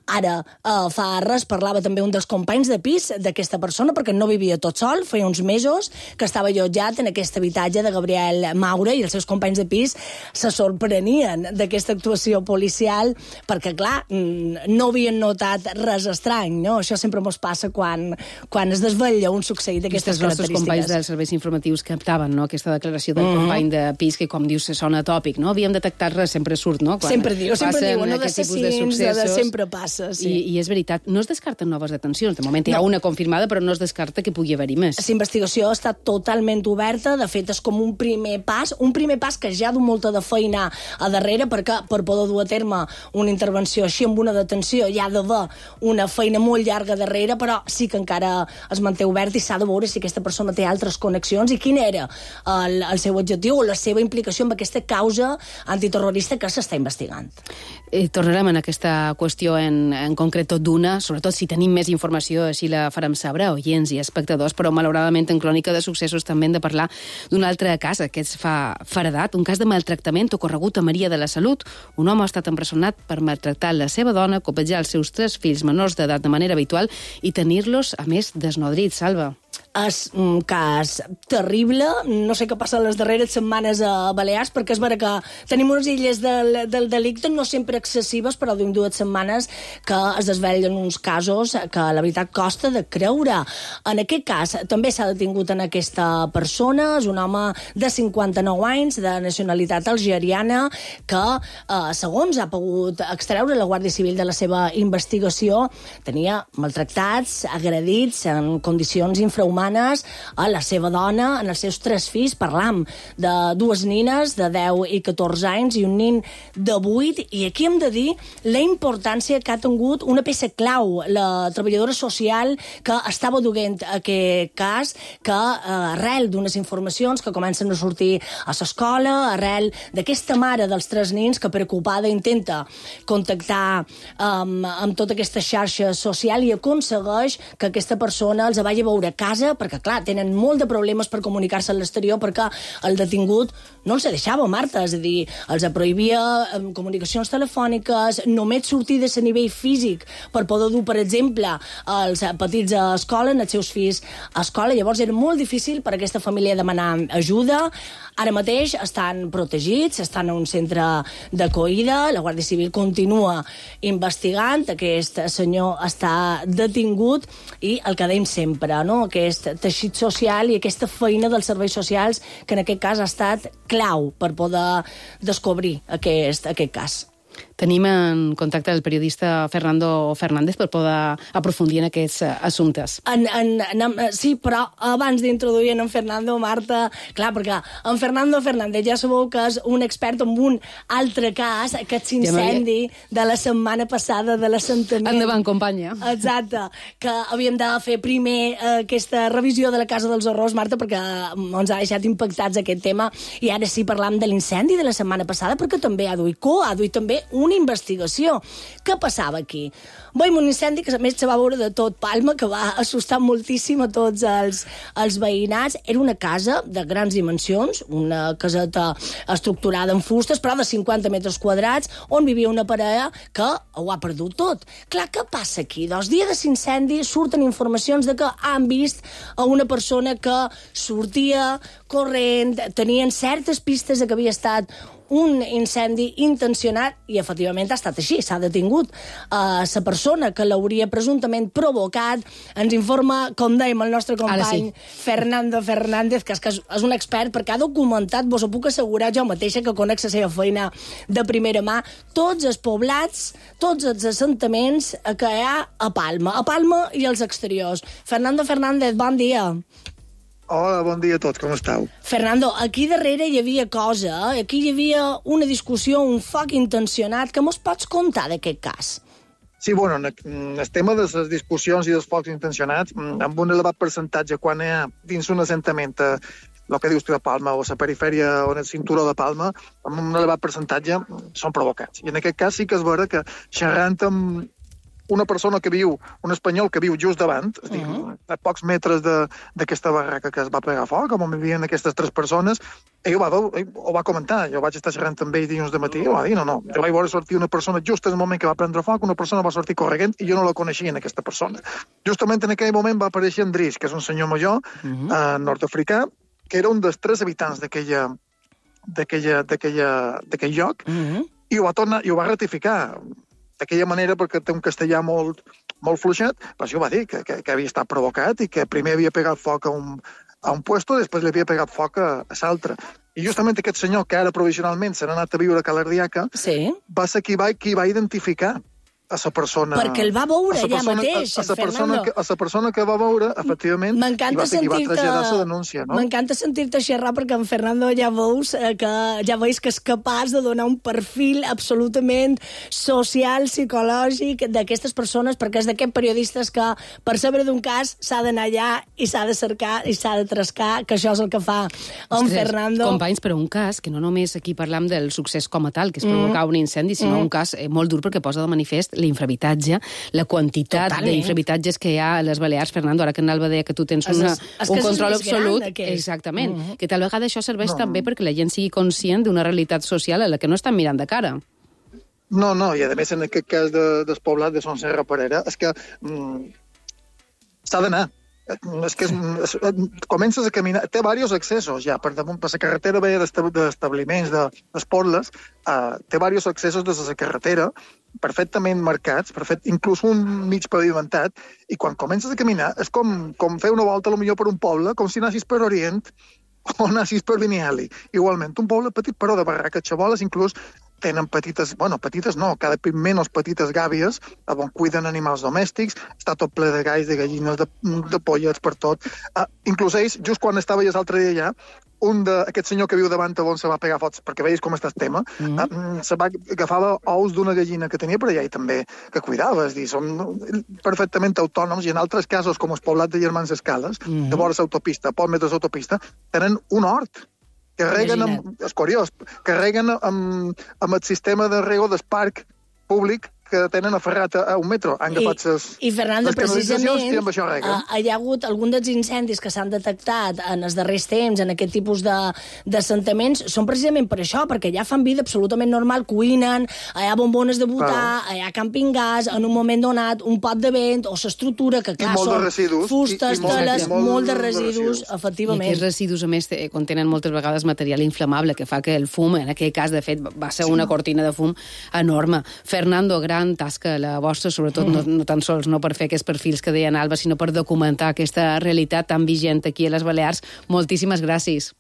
Ara, fa res, parlava també un dels companys de pis d'aquesta persona, perquè no vivia tot sol, feia uns mesos que estava allotjat en aquest habitatge de Gabriel Maura, i els seus companys de pis se sorprenien d'aquesta actuació policial, perquè, clar, no havien notat res estrany, no? Això sempre mos passa quan es desvetlla un succeït d'aquestes característiques. Els nostres companys dels serveis informatius captaven, no?, aquesta declaració del company de pis, que, com dius, sona tòpic, no? Havíem detectat res, sempre surt, no? Sempre diuen, no, de sempre passa. sí. I és veritat, no es descarten noves detencions. De moment hi ha una confirmada, però no es descarta que pugui haver-hi més. La investigació està totalment oberta, de fet és com un primer pas que ja du molta de feina a darrere, perquè per poder dur a terme una intervenció així amb una detenció hi ha d'haver una feina molt llarga darrere, però sí que encara es manté obert i s'ha de veure si aquesta persona té altres connexions i quin era el seu objectiu o la seva implicació amb aquesta causa antiterrorista que s'està investigant. Tornarem en aquesta qüestió en concret d'una, sobretot si tenim més informació, així la farem saber, oients i espectadors, però malauradament en Crònica de Successos també hem de parlar d'un altre cas, aquest fa feredat, un cas de maltractament ocorregut a Maria de la Salut. Un home ha estat empresonat per maltractar la seva dona, copejar els seus 3 fills menors d'edat de manera habitual i tenir-los, a més, desnodrits. Salva. És un cas terrible. No sé què passa les darreres setmanes a Balears, perquè és vera que tenim unes illes del delicte no sempre excessives, però d'un 2 setmanes que es desvellen uns casos que la veritat costa de creure. En aquest cas també s'ha detingut en aquesta persona, és un home de 59 anys, de nacionalitat algeriana, que segons ha pogut extreure la Guàrdia Civil de la seva investigació, tenia maltractats, agredits en condicions infrahumanes a la seva dona, en els seus 3 fills. Parlam de 2 nines de 10 i 14 anys i un nin de 8, i aquí hem de dir la importància que ha tingut una peça clau, la treballadora social que estava duent aquest cas, que arrel d'unes informacions que comencen a sortir a l'escola, arrel d'aquesta mare dels 3 nins que preocupada intenta contactar amb tota aquesta xarxa social i aconsegueix que aquesta persona els vagi a veure a casa, perquè, clar, tenen molt de problemes per comunicar-se a l'exterior perquè el detingut no els deixava, Marta, és a dir, els prohibia comunicacions telefòniques, només sortides a nivell físic per poder dur, per exemple, els petits a escola, els seus fills a escola. Llavors era molt difícil per a aquesta família demanar ajuda. Ara mateix estan protegits, estan en un centre d'acollida, la Guàrdia Civil continua investigant, aquest senyor està detingut i el que dèiem sempre, no?, aquest teixit social i aquesta feina dels serveis socials que en aquest cas ha estat clau per poder descobrir aquest cas. Tenim en contacte el periodista Fernando Fernández per poder aprofundir en aquests assumptes. Sí, però abans d'introduir en Fernando, Marta, clar, perquè en Fernando Fernández ja sabeu que és un expert en un altre cas, aquest incendi de la setmana passada de l'assentament. Endavant, companya. Exacte, que havíem de fer primer aquesta revisió de la Casa dels Horrors, Marta, perquè ens ha deixat impactats aquest tema, i ara sí parlam de l'incendi de la setmana passada, perquè també ha duit també una investigació. Què passava aquí? Veiem un incendi que a més se va veure de tot Palma, que va assustar moltíssim a tots els veïnats. Era una casa de grans dimensions, una caseta estructurada en fustes, però de 50 metres quadrats, on vivia una parella que ho ha perdut tot. Clar, què passa aquí? Doncs dia de l'incendi surten informacions de que han vist a una persona que sortia corrent, tenien certes pistes de que havia estat un incendi intencionat, i efectivament ha estat així, s'ha detingut la persona que l'hauria presumptament provocat. Ens informa, com dèiem, el nostre company Fernando Fernández, que és un expert perquè ha documentat, vos ho puc assegurar jo mateixa, que conec la seva feina de primera mà, tots els poblats, tots els assentaments que hi ha a Palma i els exteriors. Fernando Fernández, bon dia. Hola, bon dia a tots, com esteu? Fernando, aquí darrere hi havia cosa, aquí hi havia una discussió, un foc intencionat. Què mos pots contar d'aquest cas? Sí, bueno, el tema de les discussions i dels focs intencionats, amb un elevat percentatge quan hi ha dins un assentament, el que dius tu de Palma, o la perifèria o en el cinturó de Palma, amb un elevat percentatge són provocats. I en aquest cas sí que és vera que xerrant amb una persona que viu, un espanyol que viu just davant, a pocs metres d'aquesta barraca que es va pegar foc, on vivien aquestes 3 persones, ell ho va comentar. Jo vaig estar xerrant amb ell dilluns de matí, i va dir, no, jo vaig veure sortir una persona just en el moment que va prendre foc, una persona va sortir corregent i jo no la coneixia, aquesta persona. Justament en aquell moment va aparèixer Andrés, que és un senyor major, nord-africà, que era un dels 3 habitants d'aquell lloc, i ho va tornar, i ho va ratificar d'aquella manera, perquè té un castellà molt fluixet, però sí ho va dir, que havia estat provocat i que primer havia pegat foc a un puesto i després li havia pegat foc a l'altre. I justament aquest senyor, que ara provisionalment s'ha anat a viure a Cala Ardiaca, va ser qui va identificar a la persona... Perquè el va veure allà mateix, Fernando. A la persona que va veure, efectivament, i va traslladar la denúncia, no? M'encanta sentir-te xerrar perquè en Fernando ja veus que és capaç de donar un perfil absolutament social, psicològic d'aquestes persones, perquè és d'aquests periodistes que per saber d'un cas s'ha d'anar allà i s'ha de cercar i s'ha de trascar, que això és el que fa en Fernando. Companys, però un cas que no només aquí parlam del succés com a tal, que és provocar un incendi, sinó un cas molt dur perquè posa de manifest l'infrahabitatge, la quantitat d'infrahabitatges que hi ha a les Balears. Fernando, ara que en Alba deia que tu tens un control absolut, exactament, que tal vegada això serveix també perquè la gent sigui conscient d'una realitat social a la que no estan mirant de cara. No, i a més en aquest cas del poblat de Son Serra Perera, és que s'ha d'anar. És que comences a caminar, té diversos accessos ja, per damunt, per la carretera veia d'establiments d'esportles, té diversos accessos des de la carretera, perfectament marcats, inclús un mig pavimentat, i quan comences a caminar és com fer una volta potser per un poble, com si anessis per Orient o anessis per Vinyali. Igualment, un poble petit però de barraques xaboles, inclús tenen petites no, cada cop menys petites gàbies, on cuiden animals domèstics, està tot ple de galls, de gallines, de pollets per tot. Inclús ells, just quan estava ja l'altre dia allà, aquest senyor que viu davant on se va pegar fots, perquè veus com està el tema, agafava ous d'una gallina que tenia per allà i també que cuidava, és dir, són perfectament autònoms, i en altres casos, com el poblat de Germans Escales, de vora l'autopista, pocs metres d'autopista, tenen un hort, que reguen és curiós, que reguen amb el sistema de rego del parc públic que tenen aferrat a un metro. Han agafat I Fernando, precisament, i amb això reguen. hi ha hagut algun dels incendis que s'han detectat en els darrers temps, en aquest tipus d'assentaments, són precisament per això, perquè allà fan vida absolutament normal, cuinen, hi ha bombones de butà, hi ha camping gas, en un moment donat, un pot de vent, o s'estructura, que clar, són fustes, teles, molt de residus, efectivament. I aquests residus, a més, contenen moltes vegades material inflamable, que fa que el fum, en aquell cas, de fet, va ser una cortina de fum enorme. Fernando, gran tasca la vostra, sobretot no tan sols no per fer aquests perfils que deia Alba, sinó per documentar aquesta realitat tan vigent aquí a les Balears. Moltíssimes gràcies.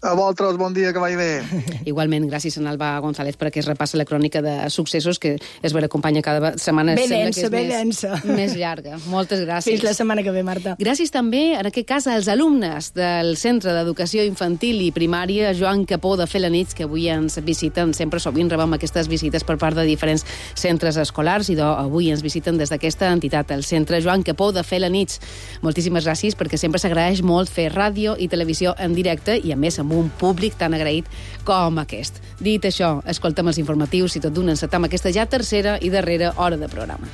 A vosaltres, bon dia, que vagi bé. Igualment, gràcies a Alba González per aquest repàs a la crònica de successos, que es ve acompanya cada setmana. Més llarga. Moltes gràcies. Fins la setmana que ve, Marta. Gràcies també, en aquest cas, als alumnes del Centre d'Educació Infantil i Primària Joan Capó de Felanitx, que avui ens visiten. Sempre sovint rebem aquestes visites per part de diferents centres escolars, i avui ens visiten des d'aquesta entitat, el Centre Joan Capó de Felanitx. Moltíssimes gràcies, perquè sempre s'agraeix molt fer ràdio i televisió en directe, i a més amb un públic tan agraït com aquest. Dit això, escoltem els informatius i tot d'una encetam aquesta ja tercera i darrera hora de programa.